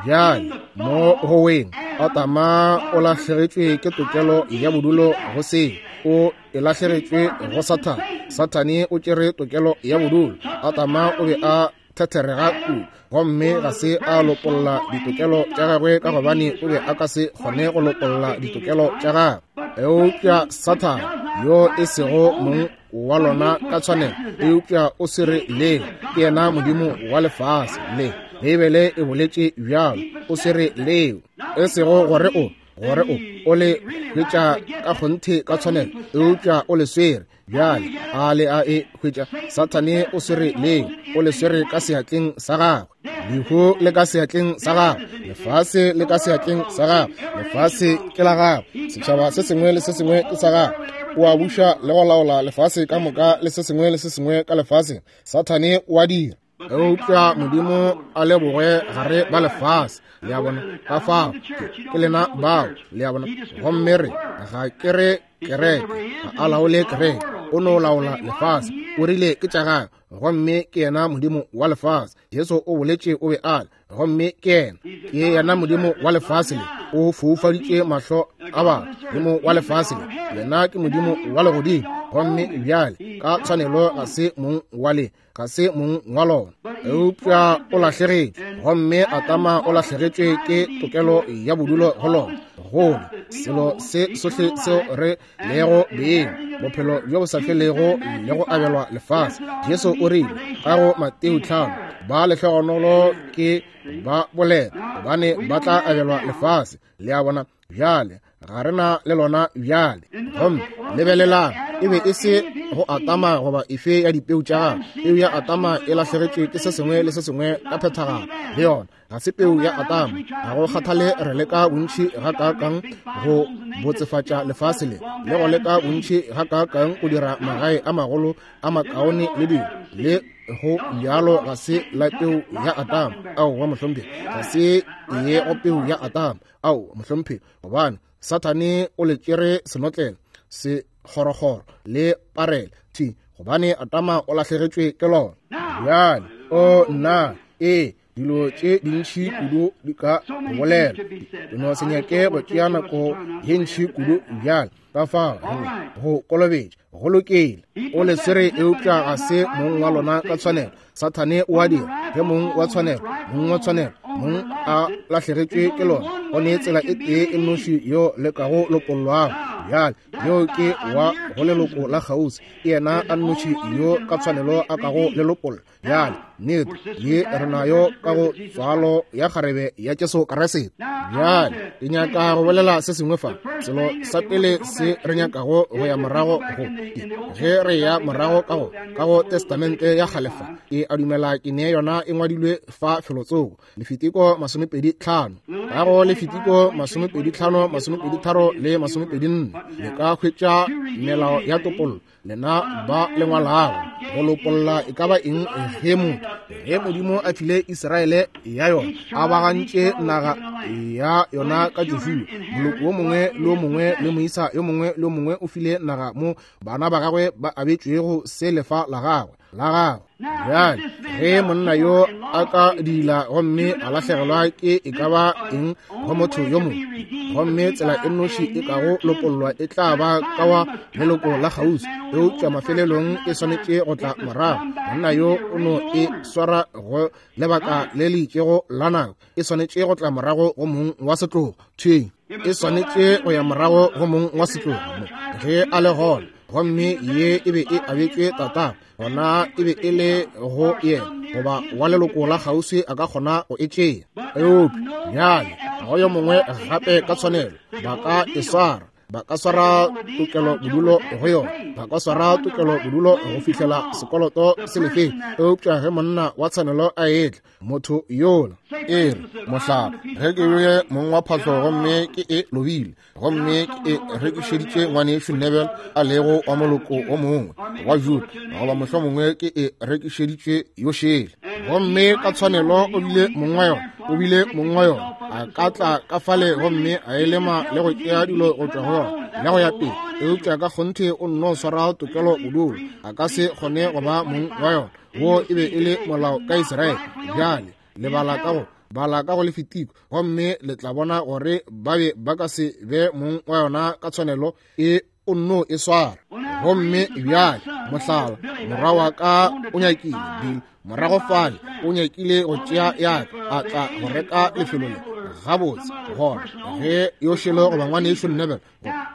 Bjale mo go weng, Adama o lahlegetšwe ke tokelo ya bodulo go se, o e lahlegetšwe go Sathane. Sathane o tšere tokelo ya bodulo. Adama o be a thetherega kudu, gomme ga se a lopolla ditokelo tša gagwe, ka gobane o be a ka se kgone go lopolla ditokelo tša gagwe. Eupša Sathane, yo e sego mong wa lona ka tshwanelo, eupša o swere leo, ke yena modimo wa lefase le. Beibele e boletše bjalo, o swere leo, e sego gore o gore o o le hwetša ka kgonthe ka tshwanelo, eupša o le swere. Bjale a le a e hwetša? Sathane o swere leo, o le swere ka seatleng sa gagwe. Lehu le ka seatleng sa gagwe, lefase le ka seatleng sa gagwe, lefase ke la gagwe, setšhaba se sengwe le se sengwe ke sa gagwe. O a buša le go laola lefase ka moka le se sengwe le se sengwe ka lefaseng. Sathane o a dira. Eupša Modimo a leboge gare ba lefase. Le a bona? Ka fao ke lena bao, le a bona? Gomme re ga ke re kereke, ga a laole kereke, o no laola lefase. O rile ke tša gagwe, gomme ke yena modimo wa lefase. Jesu o boletše o be a le, gomme ke yena, ke yena modimo wa lefase le. O foufaditše mahlo a batho, modimo wa lefase le. Yena ke modimo wa legodimo, gomme bjale ka tshwanelo ga se mong wa le, ga se mong wa lona. Eupša o lahlegetšwe, gomme Adama o lahlegetšwe ke tokelo ya bodulo go lona. Gole selo se sohle seo re lego beng, bophelo bjo bo sa felego le go abelwa lefase. Jesu o rile ka go Mateo tlhano, ba lehlogonolo ke ba bolela, gobane ba tla abelwa lefase. Le a bona? Bjale ga re na le lona bjale. Gomme lebelelang, e be e se go Adama goba efe ya dipeu tša gagwe. Peu ya Adama e lahlegetšwe ke se sengwe le se sengwe ka phethagalo le yona. Ga se peu ya Adama. Ga go kgathale re leka bontši gakaakang go botsefatša lefase le, le go leka bontši gakaakang go dira magae a magolo a makaone le dilo, le go bjalo ga se la peu ya Adama. Aowa mohlomphegi, ga se ye go peu ya Adama. Ao mohlomphegi, gobane Sathane o le tšere senotlelo, sekgorokgoro le parele thi, gobane Adama o lahlegetšwe ke lona. Bjale o nna e dilo tše dintši kudu di ka bolela, ke no se nyake go tšea nako ye ntši kudu bjale. Ka fao go kolobetša go lokile, o le swere, eupša ga se mong wa lona ka tshwanelo. Sathane o a dira ge mong wa tshwanelo, mong wa tshwanelo, mong a lahlegetšwe ke lona. Go ne tsela e tee e nnoši yo le kago lokollwago bjale, yo ke wa go leloko la kgauswi, ke yena a nnoši yo ka tshwanelo a kago le lokolla. Bjale nnete ye re nayo ka go tswalo ya kgarebe ya Jesu Kriste. Bjale ke nyaka go bolela se sengwe fa. Selo sa pele se re nyakago go ya morago go, ge re ya morago ka go ka go Testamente ya kgale fa, ke a dumela ke ne yona e ngwadilwe fa felotsoko, Lefitiko masomepedi tlhano, ka go Lefitiko masomepedi tlhano, masomepedi tharo le masomepedi nne, le ka hwetša melao ya topollo. Lena ba lengwalago go lopolla e ka ba eng ge motho, ge Modimo a file Israele ya yona, a bagantše naga ya yona ka Joshua, moloko wo mongwe le wo mongwe le moisa yo mongwe le yo mongwe o file naga mo bana ba gagwe ba abetšwego se lefa la gagwe. la gagwe. Bjale ge monna yo a ka dila gomme a lahlegelwa ke e ka ba eng go motho yo mongwe, gomme tsela e nnoši e kago lopollwa e tla ba ka wa leloko la kgauswi, eupša mafelelong e swanetše go tla morago. Monna yo o no e swara go lebaka le le itšego la nako, e swanetše go tla morago go mong wa setlogo. Thweng e swanetše go ya morago go mong wa setlogo mo ge a le gona, gomme ye e be e abetšwe tatago, gona e be e le go yena goba wa leloko la kgauswi a ka kgona go e tšea. Eupša bjale ga go yo mongwe gape ka tshwanelo ba ka e swara, ba ka swara tokelo bodulo go yona, ba ka swara tokelo bodulo go fihlela sekoloto se lefeng. Eupša ge monna wa tshwanelo a etla, motho yola e re mohlala, ge ke be mong wa phahlo gomme ke e lobile, gomme ke e rekišeditše ngwanešu Neville a lego wa moloko o mongwe wa Juda, goba mohlomongwe ke e rekišeditše yo šele, gomme ka tshwanelo o bile mong wa yona, o bile mong wa yona, a ka tla ka fale gomme a e lema le go tšea dilo go tšwa go yona le go ya pele. Eupša ka kgonthe o nno swara tokelo bodulo, a ka se kgone go ba mong wa yona. Wo e be e le molao ka Israele. Bjale le bala ka go bala ka go Lefitiko, gomme le tla bona gore ba be ba ka se be mong wa yona ka tshwanelo, e o nno e swara. Gomme bjale mohlala, morwa wa ka o nyakile Bill morago fale, o nyakile go tšea ya ka, a tla go reka lefelo le. Gabotse gona ge yo šele goba ngwanešu Neville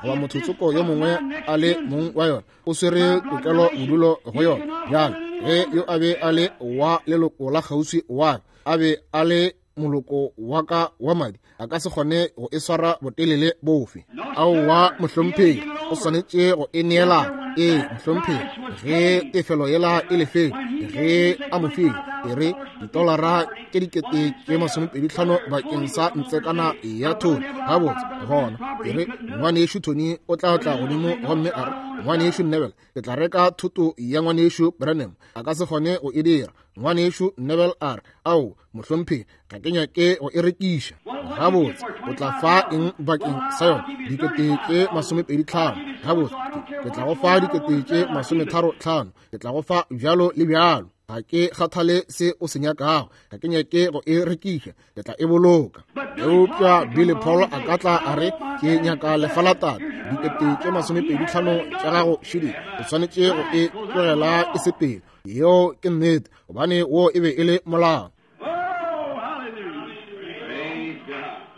goba motho tsoko yo mongwe a le mong wa yona, o swere tokelo bodulo go yona. Bjale ge yo a be a le wa leloko la kgauswi wa ka, a be a le moloko wa ka wa madi, a ka se kgone go e swara botelele bofe. Aowa mohlomphegi, o swanetše go e neela. Ee mohlomphegi, ge tefelo yela e lefele, ge a mo file e re ditolara tše dikete tše masomepedi hlano bakeng sa ntsekana ya Tony. Gabotse gona e re ngwanešu Tony o tla tla godimo gomme a re, ngwanešu Neville, ke tla reka thoto ya ngwanešu Branham. A ka se kgone go e dira. Ngwanešu Neville a re, ao mohlomphegi, ga ke nyake go e rekiša. Gabotse o tla fa eng bakeng sa yona? Dikete tše masomepedi hlano. Gabotse ke tla go fa dikete tše masometharo hlano, ke tla go fa bjalo le bjalo. Ga ke kgathale se o se nyakago, ga ke nyake go e rekiša, ke tla e boloka. Eupša Billy Paul a ka tla a re, ke nyaka lefa la tate, dikete tše masomepedi hlano tša gago šidi, o swanetše go e tlogela e sepele. Yeo ke nnete, gobane wo e be e le molao.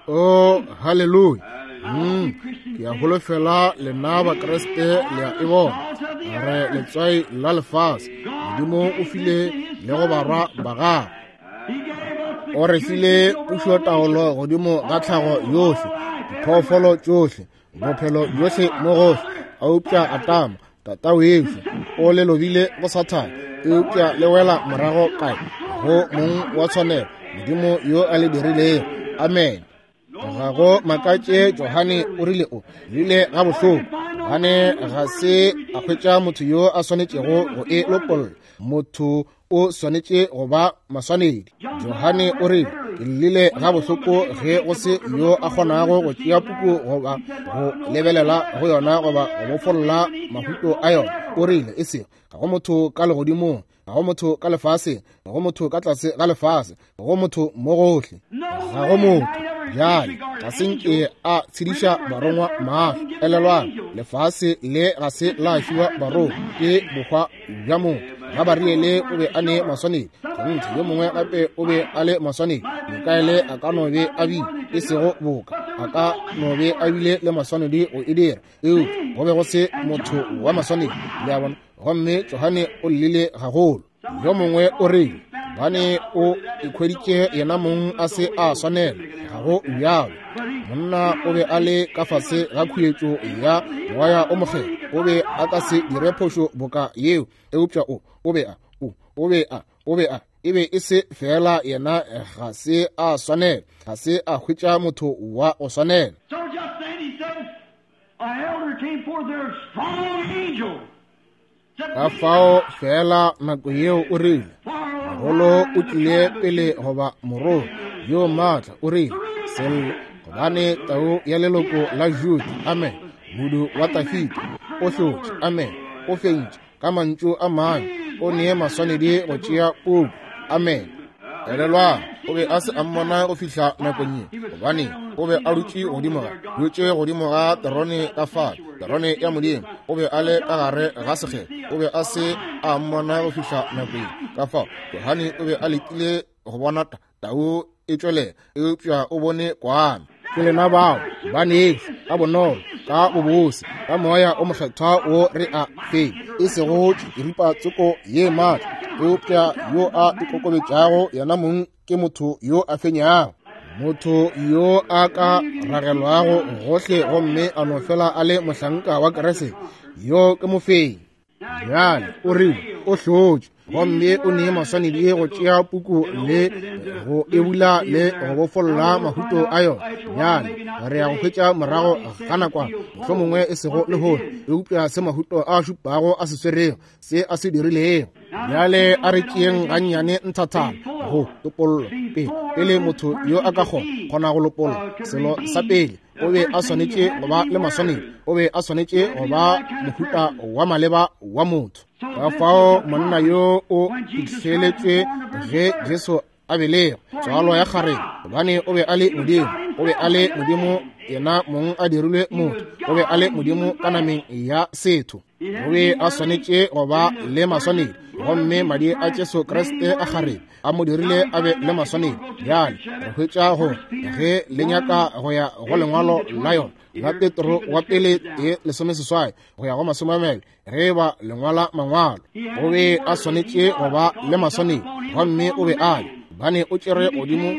Oh, hallelujah. Mm, ke a holofela lena Bakriste le a e bona. Re letswai la lefase. Modimo o file le go barwa ba gagwe. O re file pušotaolo godimo ga tlhago yohle, diphoofolo tšohle, bophelo bjohle mo gohle. Eupša Adama, tata wešo, o le lobile go Sathane, eupša le wela morago kae? Go mong wa tshwanelo, Modimo yo a le dirilego. Amen. Ga go makatše Johane o rile o rile ga bohloko, gobane ga se a hwetša motho yo a swanetšego go e lopolla. Motho o swanetše go ba maswanedi. Johane o rile, ke llile ga bohloko ge go se yo a kgonago go tšea puku goba go lebelela go yona goba go bofolla mahuto a yona. O rile, e sego ga go motho ka legodimong, ga go motho ka lefaseng, ga go motho ka tlase ga lefase, ga go motho mo gohle, ga go motho. Bjale ga se nke a tshediša barongwa mahlo. Elelwang, lefase le ga se la fiwa barongwa, ke bohwa bja motho. Gabariele o be a ne maswanedi, kgonthe yo mongwe gape o be a le maswanedi. Mikaele a ka no be a bile, e sego boka, a ka no be a bile le maswanedi go e dira, eupša go be go se motho wa maswanedi. Le a bona? Gomme Johane o llile gagolo. Yo mongwe o rile, gobane o ikhweditše yena mong a se a swanela. Ga go bjalo. Monna o be a le ka fase ga khuetšo ya moya o mokgethwa, o be a ka se dire phošo boka yeo. Eupša o o be a o o be a o be a e be e se fela yena ga se a swanela, ga se a hwetša motho wa go swanela. So just then he said, an elder came forth there, a strong angel. Ka fao fela nako yeo o rile, mogolo o tlile pele goba morolo yo maatla, o rile, sello, gobane tau ya leloko la Juda, amen, modu wa Dafida, o hlotše, amen, o fentše ka mantšu a mangwe, o nee maswanedi go tšea puku. Amen. Elelwang, o be a se a mmona go fihla nakong ye, gobane o be a dutše godimo ga dutše godimo ga terone ka fale, terone ya Modimo. O be a le ka gare ga sekgethwa, o be a se a mmona go fihla nako ye. Ka fao Johane o be a letile go bona tau e tšwelela, eupša o bone kwana. Ke lena bao banešu, ka bonolo, ka bobose, ka moya o mokgethwa wo re a feng, e sego tširipa tsoko ye maatla, eupša yo a ikokobetšago yena mong ke motho yo a fenyago, motho yo a ka ragelwago gohle gomme a no fela a le mohlanka wa Kriste, yo ke mofenyi. Bjale o rile o hlotše gomme o nee maswanedi go tšea puku le go e bula le go bofolla mahuto a yona. Bjale re ya go hwetša morago ga nakwana, mohlomongwe e sego lehono, eupša se mahuto a šupago a se swerego, se a se dirilego. Bjale a re tšeeng gannyane nthathana go topollo pele, pele motho yo a ka kgona kgona go lopolla. Selo sa pele, o be a swanetše go ba le maswanedi, o be a swanetše go ba mohuta wa maleba wa motho. Ka fao monna yo o fihleletšwe ge Jesu a belegwa, tswalo ya kgarebe, gobane o be a le Modimo, o be a le Modimo yena mong a dirilwe motho, o be a le Modimo ka nameng ya setho. O be a swanetše go ba le maswanedi, gomme madi a Jesu Kriste a kgarebe a mo dirile a be le maswanedi. Bjale re hwetša gore ge le nyaka go ya go lengwalo la yona la Petro wa pele e lesomeseswai go ya go masome a mabedi, ge ba lengwala mangwalo, o be a swanetše go ba le maswanedi, gomme o be a le, gobane o tšere godimo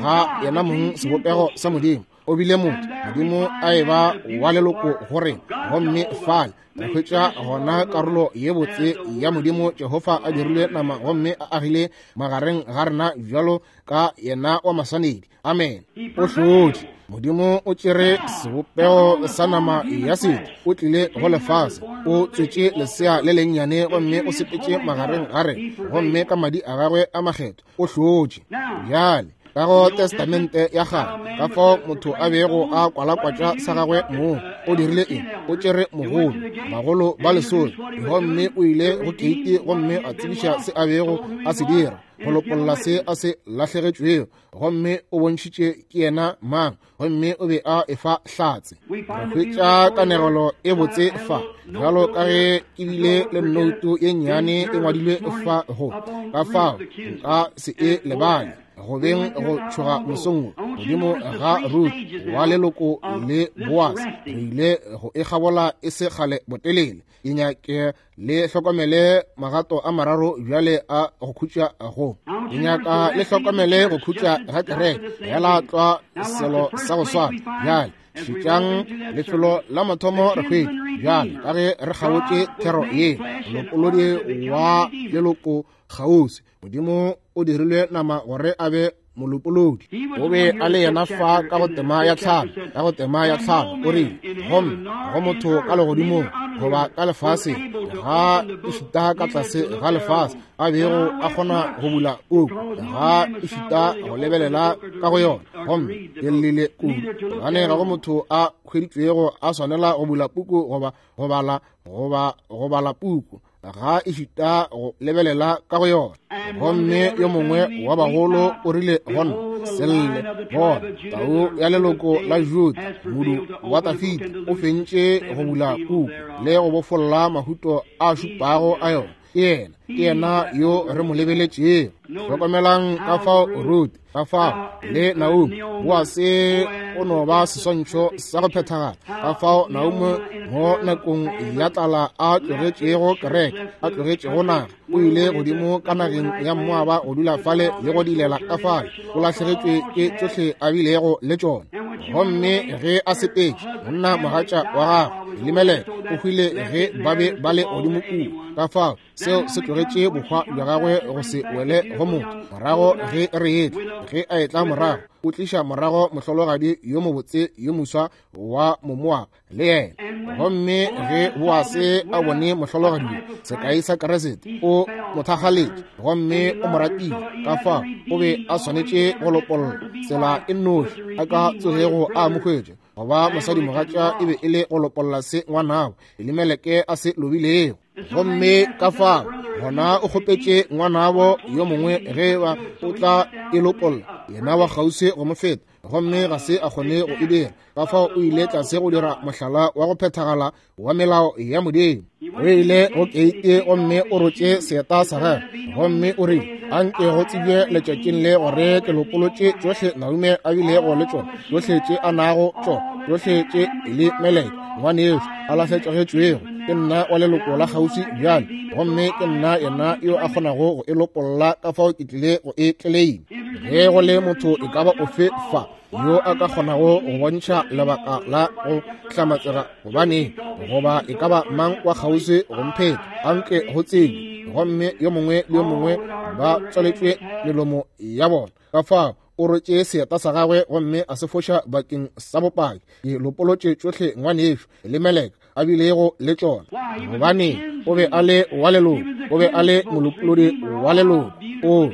ga yena mong sebopego sa Modimo. O bile motho, Modimo a e ba wa leloko go rena, gomme fale re hwetša gona karolo ye botse ya Modimo Jehofa a dirilwe nama gomme a agile magareng ga rena bjalo ka yena wa maswanedi. Amen. O hlotše. Modimo o tšere sebopego sa nama ya setho, o tlile go lefase, o tswetše lesea le lennyane gomme o sepetše magareng ga rena, gomme ka madi a gagwe a makgethwa o hlotše. Bjale ka go Testamente ya kgale, ka fao motho a bego a kwalakwatša sa gagwe mong, o dirile eng? O tšere mogolo, bagolo ba lesome, gomme o ile go keiti gomme a tsebiša se a bego a se dira, go lopolla se a se lahlegetšwego, gomme o bontšhitše ke yena mang, gomme o be a efa hlatse. Re hwetša kanegelo e botse fa, bjalo ka ge ke bile le nnoutu ye nnyane e ngwadilwe fa go, ka fao nka se e lebale. Go beng go tšhoga mosong godimo ga Ruth wa leloko le Boaz, re ile go e kgabola e se kgale botelele. Ke nyake le hlokomele magato a mararo bjale a go khutša go. Ke nyaka le hlokomele go khutša ga kereke, fela tlwa selo sa go swana. Bjale šetšang lefelo la mathomo re hwetše bjale ka ge re kgaotše thero ye, molopolodi wa leloko kgauswi. Modimo o dirilwe nama gore a be molopolodi. O be a le yena fa ka go tema ya tlhano, ka go tema ya tlhano o rile, gomme go motho ka legodimong goba ka lefaseng, ga ešita ka tlase ga lefase, a bego a kgona go bula puku, ga ešita go lebelela ka go yona, gomme ke llile kudu, gobane ga go motho a hweditšwego a swanela go bula puku goba go bala goba go bala puku, ga ešita go lebelela ka go yona. Gomme yo mongwe wa bagolo o rile go nna, se lle, bona tau ya leloko la Juda, modu wa Dafida, o fentše go bula puku le go bofolla mahuto a šupago a yona. Ke yena, ke yena yo re mo lebeletšego. Hlokomelang ka fao Ruth, ka fao le Naomi, Boase o no ba seswantšho sa go phethagala. Ka fao Naomi mo nakong ya tlala a tlogetšego kereke, a tlogetšego naga, o ile godimo ka nageng ya Moaba go dula fale le go dilela ka fale, o lahlegetšwe ke tšohle a bilego le tšona. Gomme ge a sepetše, monna mogatša wa gagwe Elimeleke o hwile ge ba be ba le godimo kua. Ka fao seo se tlogetše bohwa bja gagwe go se wele go motho. Morago ge re etla, ge a etla morago, o tliša morago mohlologadi yo mobotse yo moswa wa Momoaba le yena. Gomme ge Boase a bone mohlologadi yo, sekai sa Kriste, o mo thakgaletše gomme o mo ratile. Ka fao o be a swanetše go lopolla tsela e nnoši a ka tsogego a mo hwetša goba mosadimogatša e be e le go lopolla se ngwanabo Elimeleke a se lobilego. Gomme ka fao Gona o kgopetše ngwanabo yo mongwe ge ba o tla e lopolla, yena wa kgauswi go mo feta, gomme ga se a kgone go e dira. Ka fao o ile tlase go dira mohlala wa go phethagala wa melao ya Modimo. O ile go keite gomme o rotše seeta sa gagwe, gomme o rile, anke go tsebje letšatšing le gore ke lopolotše tšohle Naume a bilego le tšona, tšohle tše a nago tšona, tšohle tše Elimeleke ngwanešo a lahletšegetšwego. Ke nna wa leloko la kgauswi bjale, gomme ke nna yena yo a kgonago go e lopolla, ka fao ke tlile go e tleleima. Ge go le motho e ka ba ofe fa yo a ka kgonago go bontšha lebaka la go hlamatsega gobaneng, goba e ka ba mang wa kgauswi go mpheta, anke go tsebe, gomme yo mongwe le yo mongwe ba tswaletšwe melomo ya bona. Ka fao o rotše seeta sa gagwe gomme a se foša bakeng sa bopaki. Ke lopolotše tšohle ngwanešo Elimeleke a bilego le tšona, gobane o be a le wa leloko, o be a le molopolodi wa leloko. O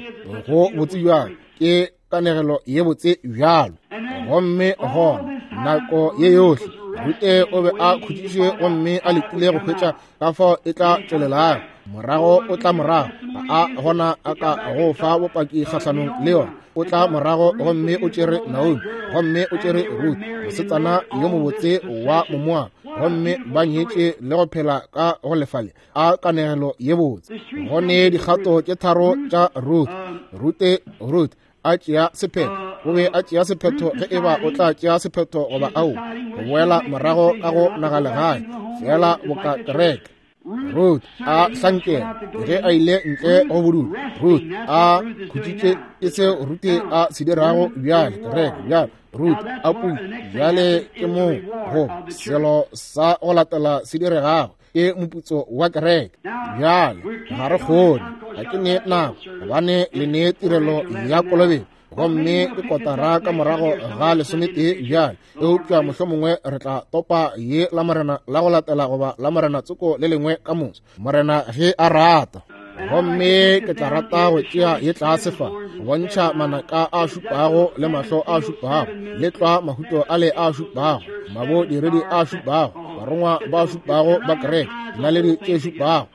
go botse bjang, ke kanegelo ye botse bjalo. Gomme gona nako ye yohle Rute o be a khutšiše gomme a letile go hwetša ka fao e tla tšwelelago. Morago o tla morago, ga a gona a ka go fa bopaki kgahlanong le yona. O tla morago gomme o tšere Naomi, gomme o tšere Ruth, mosetsana yo mobotse wa Momoaba, gomme ba nyetše le go phela ka go lefale. A kanegelo ye botse. Go ne dikgato tše tharo tša Ruth. Rute, Ruth a tšea sephetho. O be a tšea sephetho ge eba o tla tšea sephetho goba ao, go boela morago ka go nagalegae, fela boka kereke. Ruth a hlankela ge a ile ntle go bodutu. Ruth a khutšitše, ke seo Rute a se dirago bjale, kereke bjale. Ruth a putsa bjale, ke moo go selo sa go latela se diregago, ke moputso wa kereke. Bjale ga re kgone, ga ke ne nako, gobane le ne tirelo ya kolobetšo, gomme ke kotara ka morago ga lesometee bjale. Eupša mohlomongwe re tla topa ye la morena la go latela goba la morena tsoko le lengwe ka moso, morena ge a rata. Gomme ke tla rata go tšea ye tlase fa go bontšha manaka a šupago le mahlo a šupago le tlwa mahuto ale a šupago, mabodiredi a šupago, barongwa ba šupago ba kereke, dinaledi tše šupago.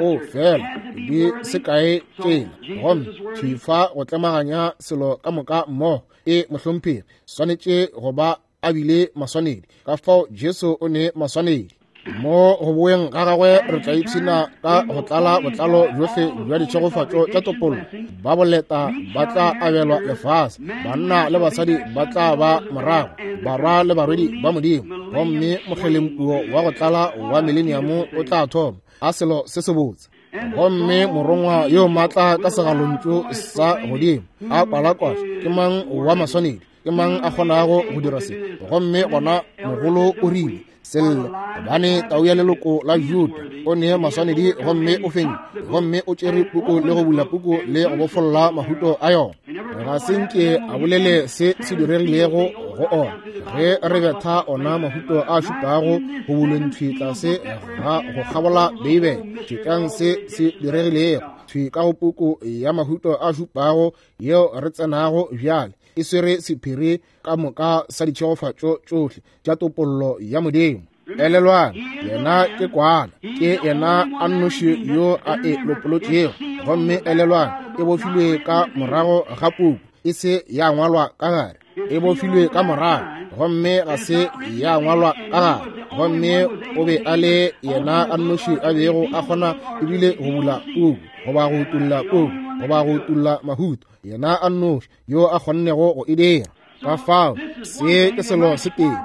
O fela di se kae tšela, gomme thwi fa go tlemaganya selo ka moka mmogo. E mohlomphegi swanetše go ba a bile maswanedi, ka fao Jesu o ne maswanedi. Mo go boeng ga gagwe re tla ipshina ka go tlala botlalo bjohle bja ditšhegofatšo tša topollo. Ba boleta ba tla abelwa lefase, banna le basadi ba tla ba morago, barwa le barwedi ba Modimo, gomme mokgelempuo wa go tlala wa mileniamo o tla thoma. A selo se se botse. Gomme morongwa yo maatla ka segalontšu sa godimo a kwalakwatša, ke mang wa maswanedi, ke mang a kgonago go dira se? Gomme gona mogolo o rile, selle, gobane tau ya leloko la Juda o ne maswanedi gomme o fentše, gomme o tšere puku le go bula puku le go bofolla mahuto a yona. Ga se nke a bolele se se diregilego go ona ge re betha ona mahuto a šupago go bulweng thwi tlase ga go kgabola Beibele. Tšetšang se se diregilego thwi ka go puku ya mahuto a šupago yeo re tsenago bjale, e swere sephiri ka moka sa ditšhegofatšo tšohle tša topollo ya Modimo. Elelwang, yena ke kwana, ke yena a nnoši yo a e lopolotšego. Gomme elelwang, e bofilwe ka morago ga puku, e se ya ngwalwa ka gare. E bofilwe ka morago, gomme ga se ya ngwalwa ka gare. Gomme o be a le yena a nnoši a bego a kgona ebile go bula puku, goba go utolla puku, goba go utolla mahuto, yena a nnoši yo a kgonnego go e dira. Ka fao se ke selo se tee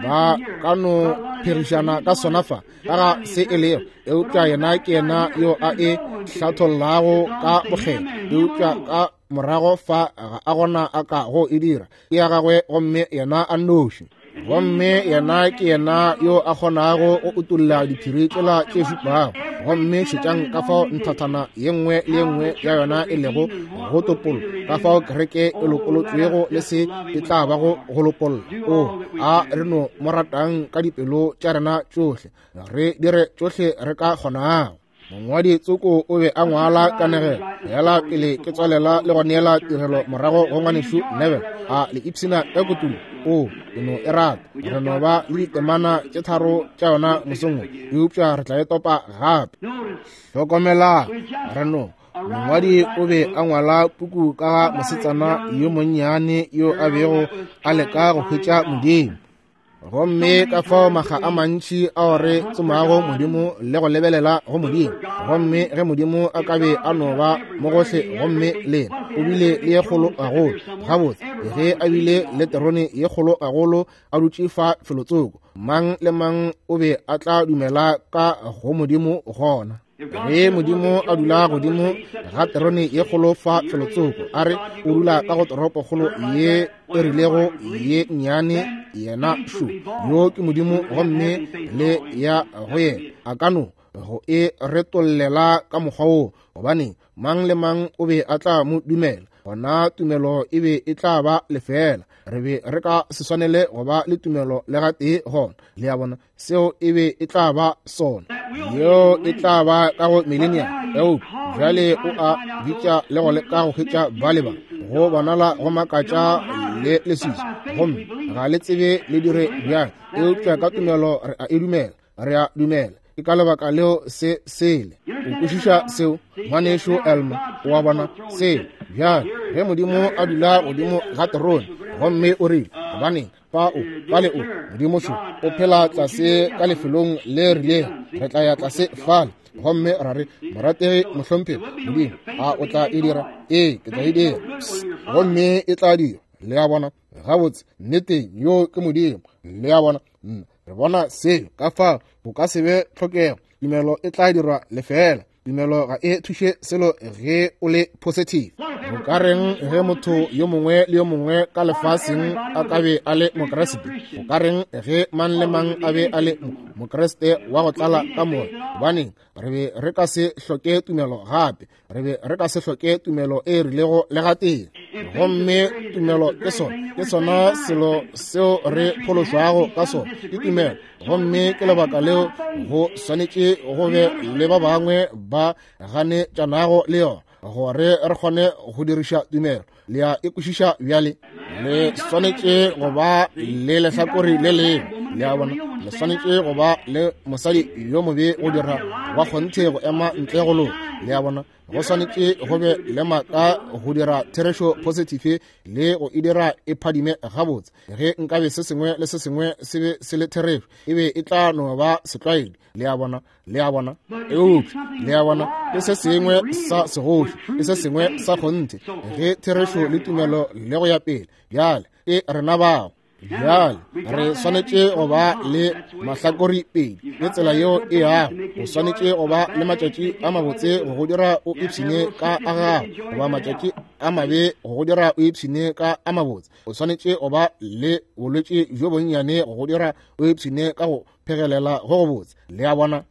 ba ka no pherišana ka sona fa ka ga se e lego, eupša yena ke yena yo a e hlathollago ka bokgethwa. Eupša ka morago fa ga a gona a ka go e dira, ke ya gagwe gomme yena a nnoši. Gomme yena ke yena yo a kgonago go utolla diphiri tšela tše šupago. Gomme šetšang ka fao nthathana ye nngwe le ye nngwe ya yona e lego go topollo, ka fao kereke e lopolotšwego le se e tla bago go lopolla. O a re no mo ratang ka dipelo tša rena tšohle, re dire tšohle re ka kgonago. Mongwadi tsoko o be a ngwala kanegelo fela pele ke tswalela le go neela tirelo morago go ngwanešu Neville. A le ipshina ka kotulo? O, ke no e rata. Re no ba le ditemana tše tharo tša yona mosong wo, eupša re tla e topa gape. Hlokomelang, re no mongwadi o be a ngwala puku ka ga mosetsana yo monnyane yo a bego a leka go hwetša Modimo. Gomme ka fao makga a mantši ao re tsomago Modimo le go lebelela go Modimo. Gomme ge Modimo a ka be a no ba mo gohle, gomme le yena o bile le ye kgolo gagolo. Gabotse, ge a bile le terone ye kgolo gagolo a dutše fa felotsoko, mang le mang o be a tla dumela ka go Modimo gona. Ge Modimo a dula godimo ga terone ye kgolo fa felotsoko, a re o dula ka go toropokgolo ye e rilego ye nnyane, yena šo yo ke Modimo, gomme le ya go yena a ka no go e retollela ka mokgwa wo, gobane mang le mang o be a tla mo dumela. Gona tumelo e be e tla ba lefela. Re be re ka se swanele go ba le tumelo le gatee gona. Le a bona, seo e be e tla ba sona. Yeo e tla ba ka go millennium. Eupša bjale o a bitša le go leka go hwetša ba le ba go bonala go makatša le leswiswi, gomme ga le tsebe le dire bjang, eupša ka tumelo re a e dumela. Re a dumela. Ke ka lebaka leo se sele. O kwešiša seo, ngwanešu Elma? O a bona seo? Bjale ge Modimo a dula godimo ga terone, gomme o rile, gobaneng fa o fale o Modimo šo o phela tlase ka lefelong le rilego, re tla ya tlase fale gomme ra re, morategi mohlomphegi Modimo, a o tla e dira? Ee, ke tla e dira. Gomme e tla dira. Le a bona? Gabotse, nneteng yo ke Modimo. Le a bona? Re bona seo. Ka fao go ka se be tlhokego. Tumelo e tla dirwa lefela. Tumelo ga e thuše selo ge o le positive. Go ka reng ge motho yo mongwe le yo mongwe ka lefaseng a ka be a le Mokriste? Go ka reng ge mang le mang a be a le Mokriste wa go tlala ka moya? Gobaneng re be re ka se hloke tumelo gape. Re be re ka se hloke tumelo e rilego le gatee. Gomme tumelo ke sona, ke sona selo seo re phološwago ka sona, ke tumelo. Gomme ke lebaka leo go swanetše go be le ba bangwe ba ganetšanago le yona, gore re kgone go diriša tumelo. Le a e kwešiša bjale? Le swanetše go ba le lehlakore le lengwe. Le a bona? Le swanetše go ba le mosadi yo mobe go dira wa kgonthe go ema ntle go loka. Le a bona? Go swanetše go be le maaka go dira therešo positive le go e dira e phadime gabotse. Ge nkabe se sengwe le se sengwe se be se le therešo, e be e tla no ba setlwaedi. Le a bona? Le a bona? Eupša le a bona, ke se sengwe sa segoši, ke se sengwe sa kgonthe, ge therešo le tumelo le go ya pele. Bjale ke rena bao. Bjale re swanetše go ba le mahlakori pedi, ke tsela yeo e yago. O swanetše go ba le matšatši a mabotse go go dira o ipshine ka a gago, goba matšatši a mabe go go dira o ipshine ka a mabotse. O swanetše go ba le bolwetši bjo bonnyane go go dira o ipshine ka go phegelela go go botse. Le a bona?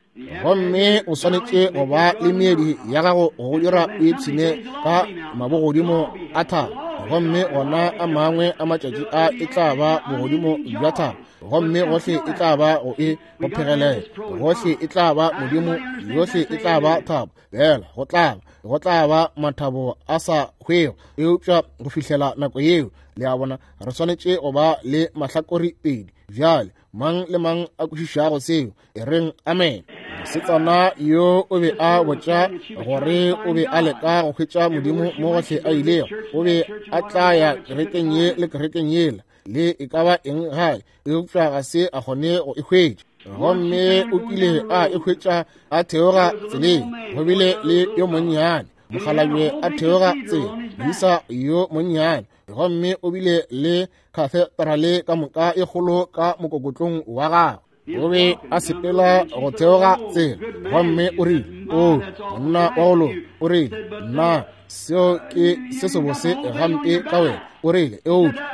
Gomme o swanetše go ba le meedi ya gago go go dira o ipshine ka mabogodimo a thabo. Gomme gona a mangwe a matšatši a e tla ba bogodimo bja thabo, gomme gohle e tla ba go e go phegelela, gohle e tla ba Modimo, yohle e tla ba thabo. Bjale go tla ba, go tla ba mathabo a sa hwego, eupša go fihlela nako yeo, le a bona, re swanetše go ba le mahlakori pedi. Bjale mang le mang a kwešišago seo, e reng amen. Mosetsana yo o be a botša gore o be a leka go hwetša Modimo mo gohle a ilego. O be a tla ya kerekeng ye le kerekeng yela, le e ka ba eng gae, eupša ga se a kgone go e hwetša. Gomme o kile a e hwetša a theoga tseleng. Go bile le yo monnyane mokgalabje a theoga tsela, moisa yo monnyane, gomme o bile le kathedrale ka moka e kgolo ka mokokotlong wa gagwe. O be a sepela go theoga tsela, gomme o rile, o monna wa go loka, o rile, nna seo ke se sebose gampe ka wena. O rile, eupša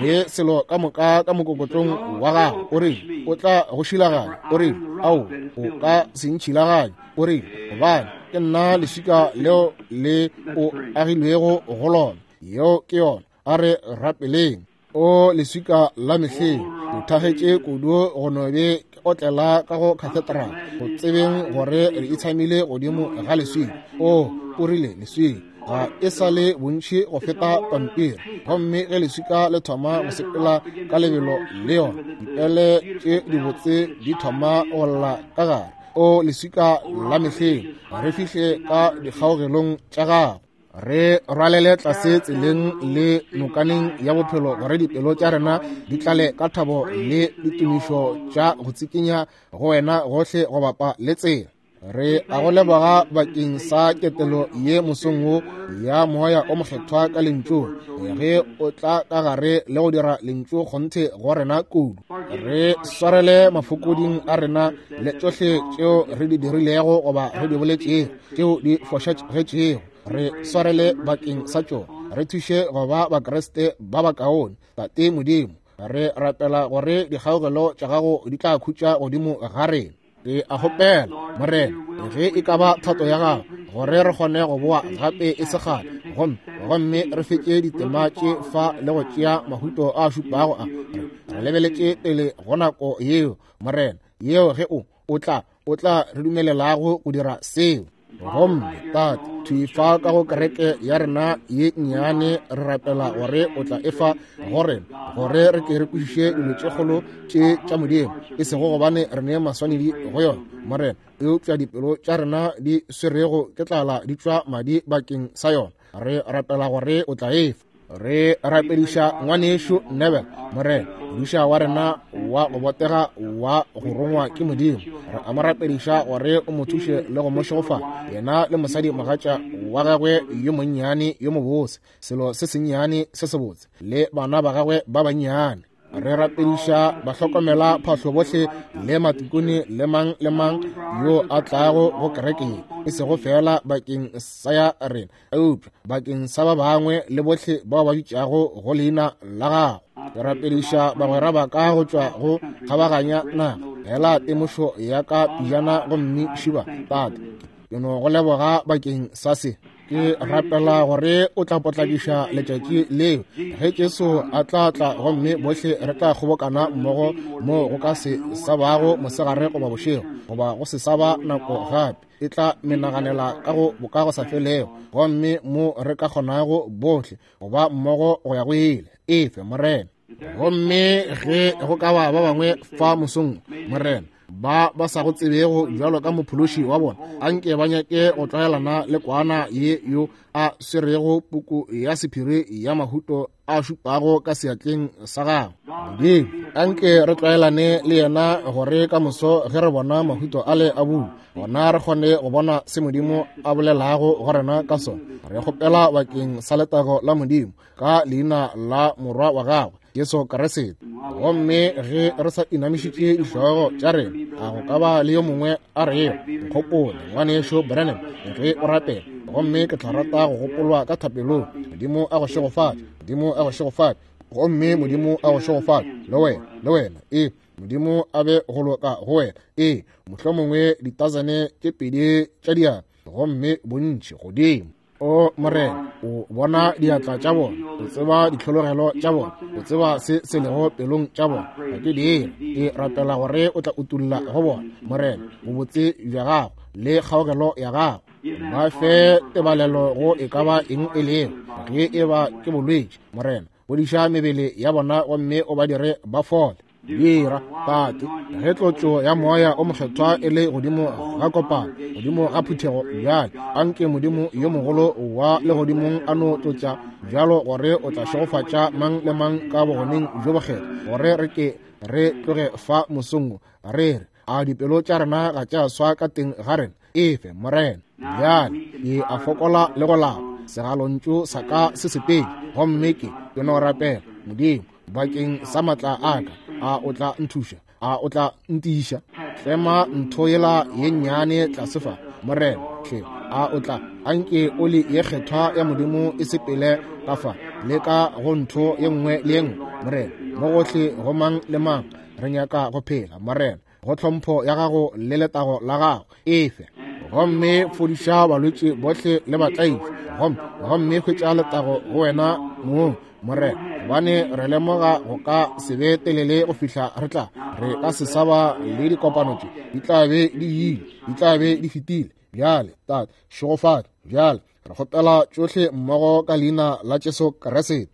le selo ka moka ka mokokotlong wa gago, o rile, o tla go šilaganya. O rile, ao, o ka se ntšhilaganye. O rile, gobane ke nna leswika leo le o agilwego go lona. Yeo ke yona. A re rapeleng. O leswika la mehleng, o thagetše kudu go no be ke otlela ka go cathedral, go tsebeng gore re itshamile godimo ga leswika. O, o rile leswika. Ga e sa le bontši go feta pampiri. Gomme ge leswika le thoma go sepela ka lebelo le yona, dipele tše dibotse di thoma go lla ka gare. O leswika la mehleng, re fihle ka dikgaogelong tša gago. Re rwalele tlase tseleng le nokaneng ya bophelo gore dipelo tša rena di tlale ka thabo le ditumišo tša go tsikinya go wena gohle go bapa le tsela. Re a go leboga bakeng sa ketelo ye mosong wo ya moya o mokgethwa ka lentšung, ge o tla ka gare le go dira lentšu kgonthe go rena kudu. Re swarele mafokoding a rena le tšohle tšeo re di dirilego goba re di boletšego tšeo di fošagetšego. Re swarele bakeng sa tšona. Re thuše go ba Bakriste ba bakaone. Tate Modimo, re rapela gore dikgaogelo tša gago di tla khutša godimo ga rena. Ke a kgopela, Morena, ge e ka ba thato ya gago, gore re kgone go boa gape e se kgale, gomme gomme re fetše ditema tše fa le go tšea mahuto a šupago a. Re lebeletše pele go nako yeo, Morena, yeo ge o o tla o tla re dumelelago go dira seo. Gomme Tate, thwi fa ka go kereke ya rena ye nnyane, re rapela gore o tla efa go rena gore re ke re kwešiše dilo tše kgolo tše tša Modimo, e sego gobane re ne maswanedi go yona, Morena, eupša dipelo tša rena di swerego ke tlala di tšwa madi bakeng sa yona. Re rapela gore o tla efa. Re rapediša ngwanešu Nebel, Morena, modiša wa rena wa go botega wa go rongwa ke Modimo. Re a mo rapediša gore o mo thuše le go mo šegofatša, yena le mosadi mogatša wa gagwe yo monnyane yo mobose, selo se sennyane se sebotse, le bana ba gagwe ba bannyane. Re rapediša bahlokomela phahlo bohle le matikone le mang le mang yo a tlago go kereke ye, e sego fela bakeng sa ya rena, eupša bakeng sa ba bangwe le bohle bao ba bitšago go leina la gago. Ke rapediša bagwera ba ka go tšwa go kgabaganya naga. Hela temošo ya ka pijana gomme šiba, Tate, ke no go leboga bakeng sa se. Ke rapela gore o tla potlakiša letšatši leo ge Jesu a tla tla, gomme bohle re tla kgobokana mmogo mo go ka se sa bago mosegare goba bošego, goba go se sa ba nako gape. E tla menaganela ka go boka go sa felego, gomme mo re ka kgonago bohle go ba mmogo go ya go ile. Efe, Morena. Gomme ge go ka ba ba bangwe fa mosong, Morena, ba ba sa go tsebego bjalo ka mophološi wa bona, anke ba nyake go tlwaelana le kwana ye yo a swerego puku ya sephiri ya mahuto a šupago ka seatleng sa gagwe. Modimo, anke re tlwaelane le yena gore ka moso ge re bona mahuto ale a bula, gona re kgone go bona se Modimo a bolelago go rena ka sona. Re kgopela bakeng sa letago la Modimo ka leina la Morwa wa gagwe Jesu Kriste. Gomme ge re sa inamišitše dihlogo tša rena, a go ka ba le yo mongwe a rego, nkgopole ngwanešo Branham ge o rapela, gomme ke tla rata go gopolwa ka thapelong. Modimo a go šegofatše, Modimo a go šegofatše, gomme Modimo a go šegofatše le wena, le wena. Ee, Modimo a be go loka go wena. Ee, mohlomongwe ditazane tše pedi tša diatla, gomme bontši godimo. O Morena, o bona diatla tša bona, o tseba ditlhologelo tša bona, o tseba se se lego pelong tša bona. Ga ke dire, ke rapela gore o tla utulla go bona, Morena, bobotse bja gago le kgaogelo ya gago. Ba fe tebalelo go e ka ba eng e lego, ge e ba ke bolwetši, Morena, fodiša mebele ya bona gomme o ba dire ba fole. Dira, Tate, ge tlotšo ya moya o mokgethwa e le godimo ga kopano, godimo ga phuthego bjale, anke Modimo yo mogolo wa legodimong a no tlotša bjalo gore o tla šegofatša mang le mang ka bogoneng bjo bokgethwa, gore re ke re tloge fa mosong re re, a dipelo tša rena ga tša swa ka teng ga rena. Efe, Morena. Bjale ke a fokola le go lapa, segalontšu sa ka se sepedi, gomme ke ke no rapela Modimo bakeng sa matla a ka. A o tla nthuša? A o tla ntiiša? Tlema ntho yela ye nnyane tlase fa, Morena, hle. A o tla anke oli ye kgethwa ya Modimo e sepele ka fa le ka go ntho ye nngwe le ye nngwe, Morena, mo gohle go mang le mang. Re nyaka go phela, Morena, go tlhompho ya gago le letago la gago. Efe, gomme fodiša balwetši bohle le batlaiši, gomme gomme hwetša letago go wena mong, Morena, gobane re lemoga go ka se be telele go fihla re tla re ka se sa ba le dikopano tše, di tla be di ile, di tla be di fetile. Bjale Tate, šegofatša bjale. Re kgopela tšohle mmogo ka leina la Jesu Kriste.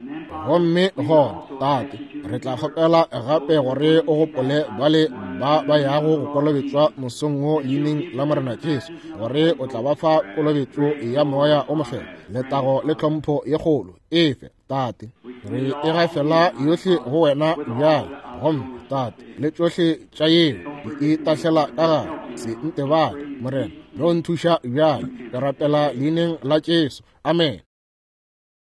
Gomme gona, Tate, re tla kgopela gape gore o gopole bale ba ba yago go kolobetšwa mosong wo leineng la Morena Jesu, gore o tla ba fa kolobetšo ya Moya o Mokgethwa, letago le tlhompho ye kgolo. Efe, Tate, re e gafela yohle go wena bjale. Gomme, Tate, le tšohle tša yeo di e tahlela ka gare, se ntebale, Morena, no nthuša bjale. Ke rapela leineng la Jesu. Amen.